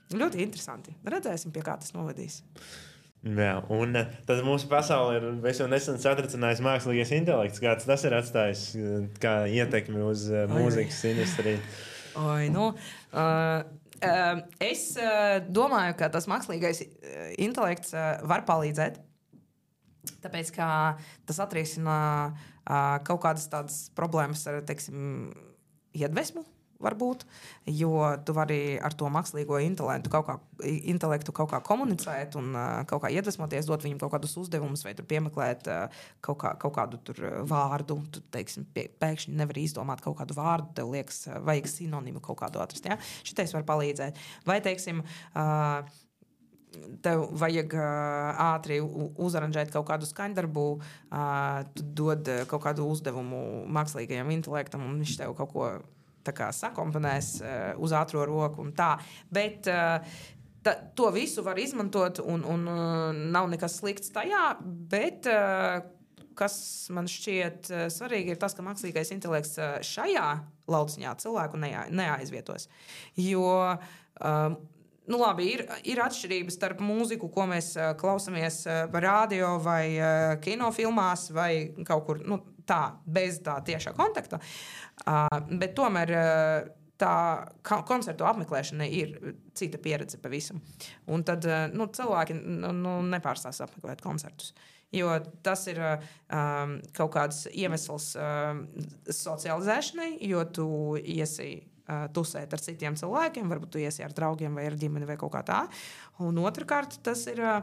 Ļoti interesanti. Redzēsim, pie kā tas novedīs. Jā, un tad mūsu pasaule ir jau nesen satricinājis mākslīgais intelekts. Kāds tas ir atstājis kā ietekmi uz uh, mūzikas industriju? Oi, nu, uh, uh, es uh, domāju, ka tas mākslīgais intelekts uh, var palīdzēt. Tāpēc, ka tas atrisina uh, kaut kādas tādas problēmas ar, teiksim, iedvesmu varbūt, jo tu vari ar to mākslīgo intelektu kaut kā, intelektu kaut kā komunicēt un uh, kaut kā iedvesmoties, dot viņam kaut kādus uzdevumus vai tur piemeklēt uh, kaut, kā, kaut kādu tur vārdu. Tu, teiksim, pie, pēkšņi nevar izdomāt kaut kādu vārdu, tev liekas, uh, vajag sinonimu kaut kādu atrast. Ja? Šitais var palīdzēt. Vai, teiksim, uh, tev vajag uh, ātri uzaranžēt kaut kādu skaņdarbu, uh, tu dod kaut kādu uzdevumu mākslīgajam intelektam, un viņš tev kaut ko tā kā sakomponēs uh, uz ātro roku un tā. Bet uh, ta, to visu var izmantot, un, un uh, nav nekas slikts tajā, bet uh, kas man šķiet uh, svarīgi ir tas, ka mākslīgais intelekts uh, šajā lauciņā cilvēku neā, neaizvietos. Jo uh, Nu, labi, ir, ir atšķirības starp mūziku, ko mēs uh, klausamies uh, radio vai uh, kinofilmās vai kaut kur nu, tā, bez tā tiešā kontakta. Uh, bet tomēr uh, tā koncertu apmeklēšana ir cita pieredze pavisam. Un tad uh, nu, cilvēki nu, nu, nepārstās apmeklēt koncertus. Jo tas ir um, kaut kāds iemesls um, socializēšanai, jo tu iesi tusēt ar citiem cilvēkiem, varbūt tu iesi ar draugiem vai ar ģimeni vai kaut kā tā. Un otrkārt, tas ir uh,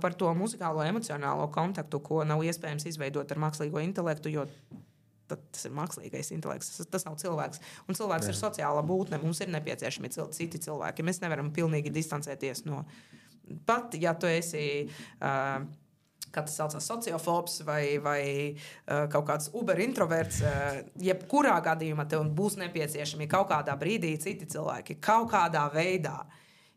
par to muzikālo emocionālo kontaktu, ko nav iespējams izveidot ar mākslīgo intelektu, jo tas ir mākslīgais intelekts, tas, tas nav cilvēks. Un cilvēks Jā. Ir sociāla būtne, mums ir nepieciešami cil- citi cilvēki. Mēs nevaram pilnīgi distancēties no... Pat, ja tu esi... Uh, kā tas saucās, sociofobs vai, vai uh, kaut kāds uber-introverts, uh, jebkurā gadījumā tev būs nepieciešami kaut kādā brīdī citi cilvēki, kaut kādā veidā.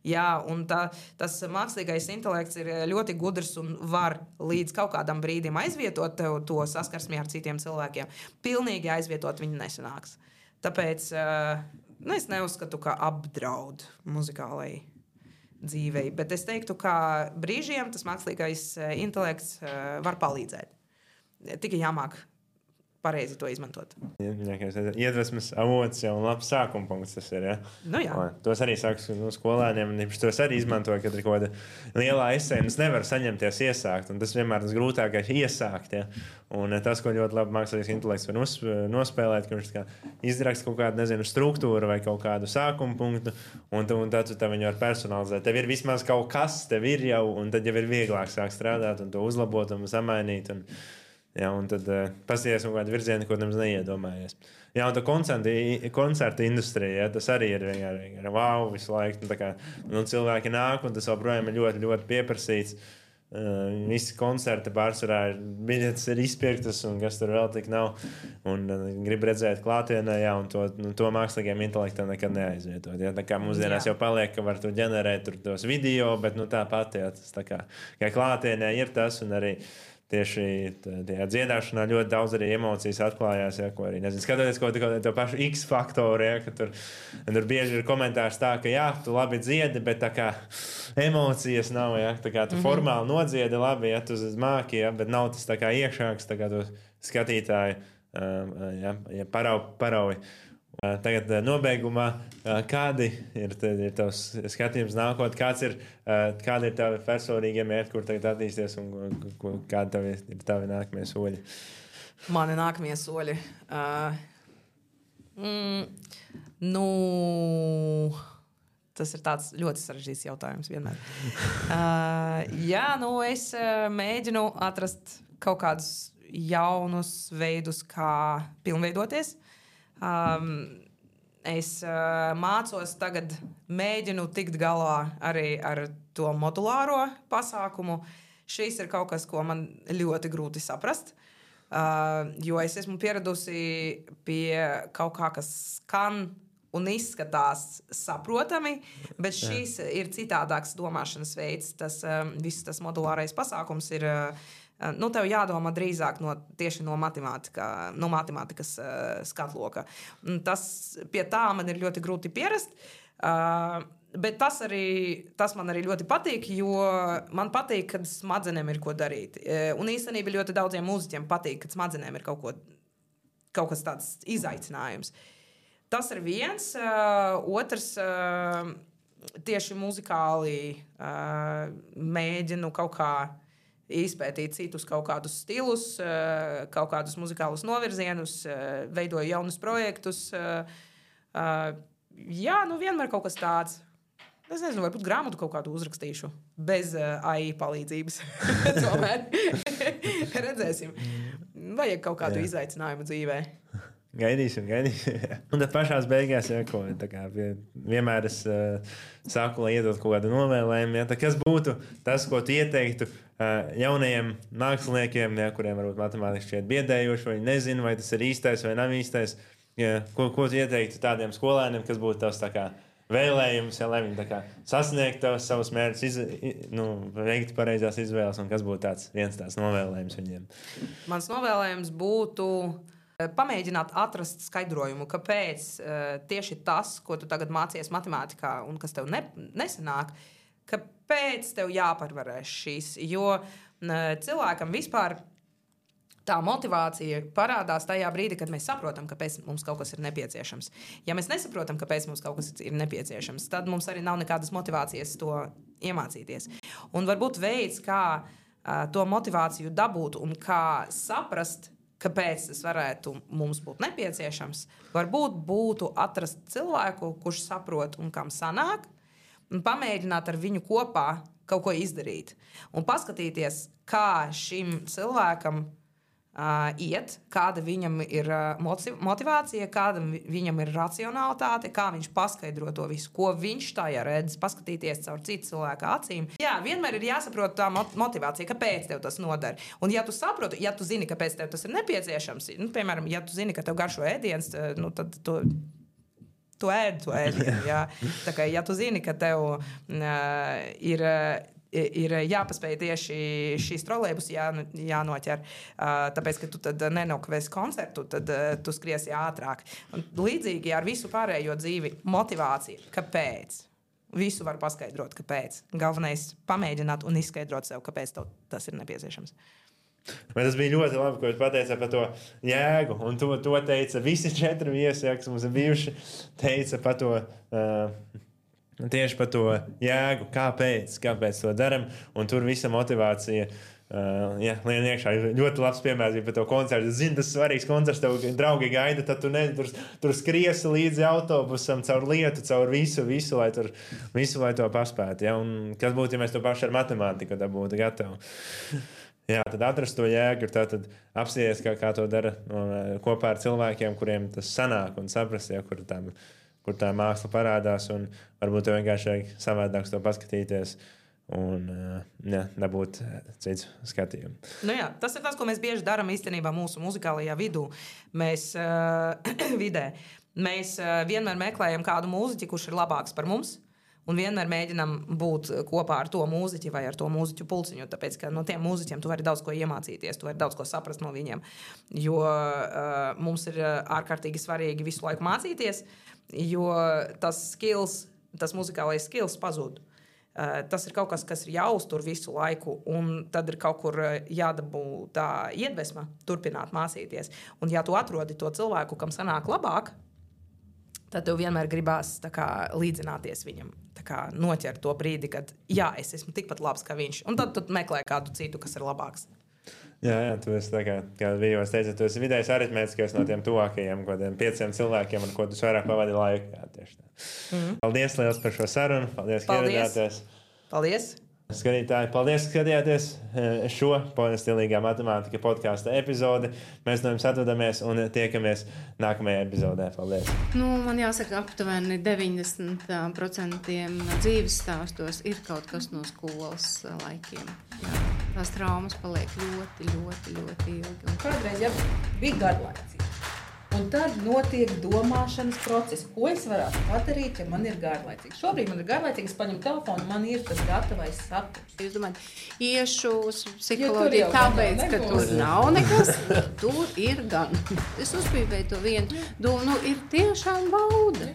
Jā, un tā, tas mākslīgais intelekts ir ļoti gudrs un var līdz kaut kādam brīdim aizvietot tev to saskarsmi ar citiem cilvēkiem. Pilnīgi aizvietot viņu nesanāks. Tāpēc uh, nu, es neuzskatu, ka apdraud muzikālai dzīvei, bet es teiktu, ka brīžiem tas mākslīgais intelekts var palīdzēt. Tikai jāmāk pareizi to izmantot. Iedvesmas avots jau un labs sākuma punkts tas ir, ja? Nu jā. Tos arī sāku no skolēniem, un tos arī izmantoju, kad ir kaut kāda lielā esē, un es nevaru saņemties iesākt, un tas vienmēr tas grūtākais iesākt, ja? Un tas, ko ļoti labi mākslīgais intelekts var nos, nospēlēt, ka viņš kā izraksta kaut kādu, nezinu, struktūru vai kaut kādu sākuma punktu, un, un tad tu tā viņu var personalizēt. Tev ir vismaz kaut kas, tev ir jau, un tad jau ir vieglāk sākt strādāt un to uzlabot un samainīt, un jā, un tad uh, pasties kaut kādu virzienu, ko nemaz neiedomājies. Jā, un tā koncerta, koncerta industrija, ja, tas arī ir vienkārši wow visu laiku. Nu, tā kā, nu, cilvēki nāk, un tas joprojām ir ļoti, ļoti pieprasīts. Uh, visi koncerti pārsvarā ir biļetes ir izpirktas, un kas tur vēl tik nav. Un uh, grib redzēt klātienē, jā, un to, nu, to mākslīgiem intelektam nekad neaizvietot. Ja. Tā kā mūsdienās jā. Jau paliek, ka var tu ģenerēt tur tos video, bet nu, tāpat, jā, tas tā kā, kā klātienē ir tas, un arī tieši tajā dziedāšanā ļoti daudz arī emocijas atklājās, ja, ko arī, nezinu, skatoties kaut kādu to pašu X-faktoru, ja, ka tur, tur bieži ir komentārs tā, ka jā, tu labi dziedi, bet tā kā emocijas nav, ja, tā kā tu mm-hmm. formāli nodziedi labi, ja, tu māki, ja, bet nav tas tā kā iekšāks, tā kā tu skatītāji, ja, ja parau, parauji. Tagad nobeigumā, kādi ir, ir tavs skatījums nākotnē, kāds ir, kādi ir tavi personīgie mērķi, kur tagad attīsties un kādi tavi, ir tavi nākamie soļi? Mani nākamie soļi? Uh, mm, nu, tas ir tāds ļoti sarežģīts jautājums vienmēr. Uh, jā, nu es uh, mēģinu atrast kaut kādus jaunus veidus, kā pilnveidoties. Um, es uh, mācos tagad, mēģinu tikt galā arī ar to modulāro pasākumu. Šis ir kaut kas, ko man ļoti grūti saprast, uh, jo es esmu pieradusi pie kaut kā, kas skan un izskatās saprotami, bet šis ir citādāks domāšanas veids. Tas, um, viss tas modulārais pasākums ir... Uh, Nu, tev jādomā drīzāk no, tieši no, no matemātikas uh, skatloka. Tas, pie tā man ir ļoti grūti pierast, uh, bet tas, arī, tas man arī ļoti patīk, jo man patīk, kad smadzenēm ir ko darīt. Uh, un īstenībā ļoti daudziem mūziķiem patīk, kad smadzenēm ir kaut, ko, kaut kas tāds izaicinājums. Tas ir viens. Uh, otrs, uh, tieši muzikāli uh, mēģinu kaut kā izpētīt citus kaut kādus stilus, kaut kādus muzikālus novirzienus, veidoju jaunus projektus. Uh, jā, nu vienmēr kaut kas tāds. Es nezinu, varbūt grāmatu kaut kādu uzrakstīšu bez uh, A I palīdzības. Tomēr redzēsim. Vajag kaut kādu jā. Izaicinājumu dzīvē. Gaidīsim, gaidīsim. Un tad pašās beigās, ja, ko, kā, vienmēr es uh, saku, lai iedod kaut kādu novēlējumu. Ja, kas būtu tas, ko tu ieteiktu uh, jaunajiem māksliniekiem, ja, kuriem varbūt matemātiski šķiet biedējoši, vai nezinu, vai tas ir īstais vai nav īstais. Ja, ko, ko tu ieteiktu tādiem skolēniem, kas būtu tavs tā kā vēlējums, ja, lai viņi tā kā sasniegtu savus mērķus, iz, nu, veiktu pareizās izvēles, un kas būtu tāds viens tāds novēlējums viņiem? Mans novēlējums būtu pamēģināt atrast skaidrojumu, kāpēc uh, tieši tas, ko tu tagad mācies matemātikā un kas tev ne, nesanāk, kāpēc tev jāparvarē šīs. Jo uh, cilvēkam vispār tā motivācija parādās tajā brīdī, kad mēs saprotam, kāpēc mums kaut kas ir nepieciešams. Ja mēs nesaprotam, kāpēc mums kaut kas ir nepieciešams, tad mums arī nav nekādas motivācijas to iemācīties. Un varbūt veids, kā uh, to motivāciju dabūt un kā saprast, kāpēc tas varētu mums būt nepieciešams, varbūt būtu atrast cilvēku, kurš saprot un kam sanāk, un pamēģināt ar viņu kopā kaut ko izdarīt. Un paskatīties, kā šim cilvēkam uh, iet, kāda viņam ir uh, motivācija, kāda viņam ir racionalitāte, kā viņš paskaidro to visu, ko viņš tajā redz, paskatīties caur citu cilvēku acīm. Jā, vienmēr ir jāsaprot tā motivācija, kāpēc tev tas nodara. Un ja tu saproti, ja tu zini, kāpēc tev tas ir nepieciešams, nu, piemēram, ja tu zini, ka tev garšo ēdiens, nu, tad tu, tu ēd to ēdienu. Jā. Tā kā, ja tu zini, ka tev uh, ir... ir jāpaspēj tieši šīs trolejbus jā, jānoķer, tāpēc, ka tu tad nenokavēsi koncertu, tad tu skriesi ātrāk. Un līdzīgi ar visu pārējo dzīvi motivācija. Kāpēc? Visu var paskaidrot, kāpēc. Galvenais pamēģināt un izskaidrot sev, kāpēc tev tas ir nepieciešams. Man tas bija ļoti labi, ko jūs pateicāt par to jēgu, un to, to teica visi četri viesi, kas mums ir bijuši, teica par to... Uh, Tieši par to jēgu, kāpēc, kāpēc to darām, un tur visa motivācija uh, jā, lien iekšā. Ļoti labs piemērs bija par to koncertu. Es zinu, tas ir svarīgs koncerts, tev draugi gaida, tad tu ne, tur, tur skriesi līdzi autobusam, caur lietu, caur visu, visu, lai, tur, visu, lai to paspētu. Ja? Un kas būtu, ja mēs to paši ar matemātiku būtu gatavi? Jā, tad atrast to jēgu, tad apsties, kā, kā to dara no, kopā ar cilvēkiem, kuriem tas sanāk, un saprast, ja, kur tam kur tā māksla parādās, un varbūt tev vienkārši vajag savādāk to paskatīties un jā, dabūt citu skatījumu. Nu jā, tas ir tas, ko mēs bieži darām īstenībā mūsu muzikālajā vidū. Mēs, uh, vidē. Mēs uh, vienmēr meklējam kādu mūziķi, kurš ir labāks par mums, un vienmēr mēģinam būt kopā ar to mūziķi vai ar to mūziķu pulciņu, tāpēc, ka no tiem mūziķiem tu vari daudz ko iemācīties, tu vari daudz ko saprast no viņiem, jo uh, mums ir ārkārtīgi svarīgi visu laiku mācīties, jo tas skills, tas muzikālais skills pazūd. Uh, tas ir kaut kas, kas ir jāuztur visu laiku, un tad ir kaut kur jādabū tā iedvesma turpināt mācīties. Un ja tu atrodi to cilvēku, kam sanāk labāk, tad tev vienmēr gribās tā kā līdzināties viņam, tā kā noķert to brīdi, kad jā, es esmu tikpat labs kā viņš, un tad tu meklē kādu citu, kas ir labāks. Jā, jā, tu esi tā kā, kā vīvos teica, tu esi vidējs aritmētiskais no tiem tuvākajiem, kodiem pieciem cilvēkiem, ar ko tu vairāk pavadi laiku. Jā, tieši tā. Mm-hmm. Paldies liels par šo sarunu, paldies, ka ieradāties. Paldies! Skatītāji, paldies, ka skatījāties šo stilīgā matemātika podkāsta epizodi. Mēs no jums atvadamies un tiekamies nākamajā epizodē. Paldies! Nu, man jāsaka, aptuveni deviņdesmit procenti dzīves stāstos ir kaut kas no skolas laikiem. Jā, tās traumas paliek ļoti, ļoti, ļoti ilgi. Un kādreiz jau bija garlaicīgi. Un tad notiek domāšanas process. Ko es varētu padarīt, ja man ir garlaicīgi? Šobrīd man ir garlaicīgi, es paņemu telefonu, man ir tas gatavais saturs. Jūs domājat, iešu uz psiholoģiju tāpēc, ka tur nav nekas, tur ir gan. Es uzpīpēju to vienu domu, nu ir tiešām bauda.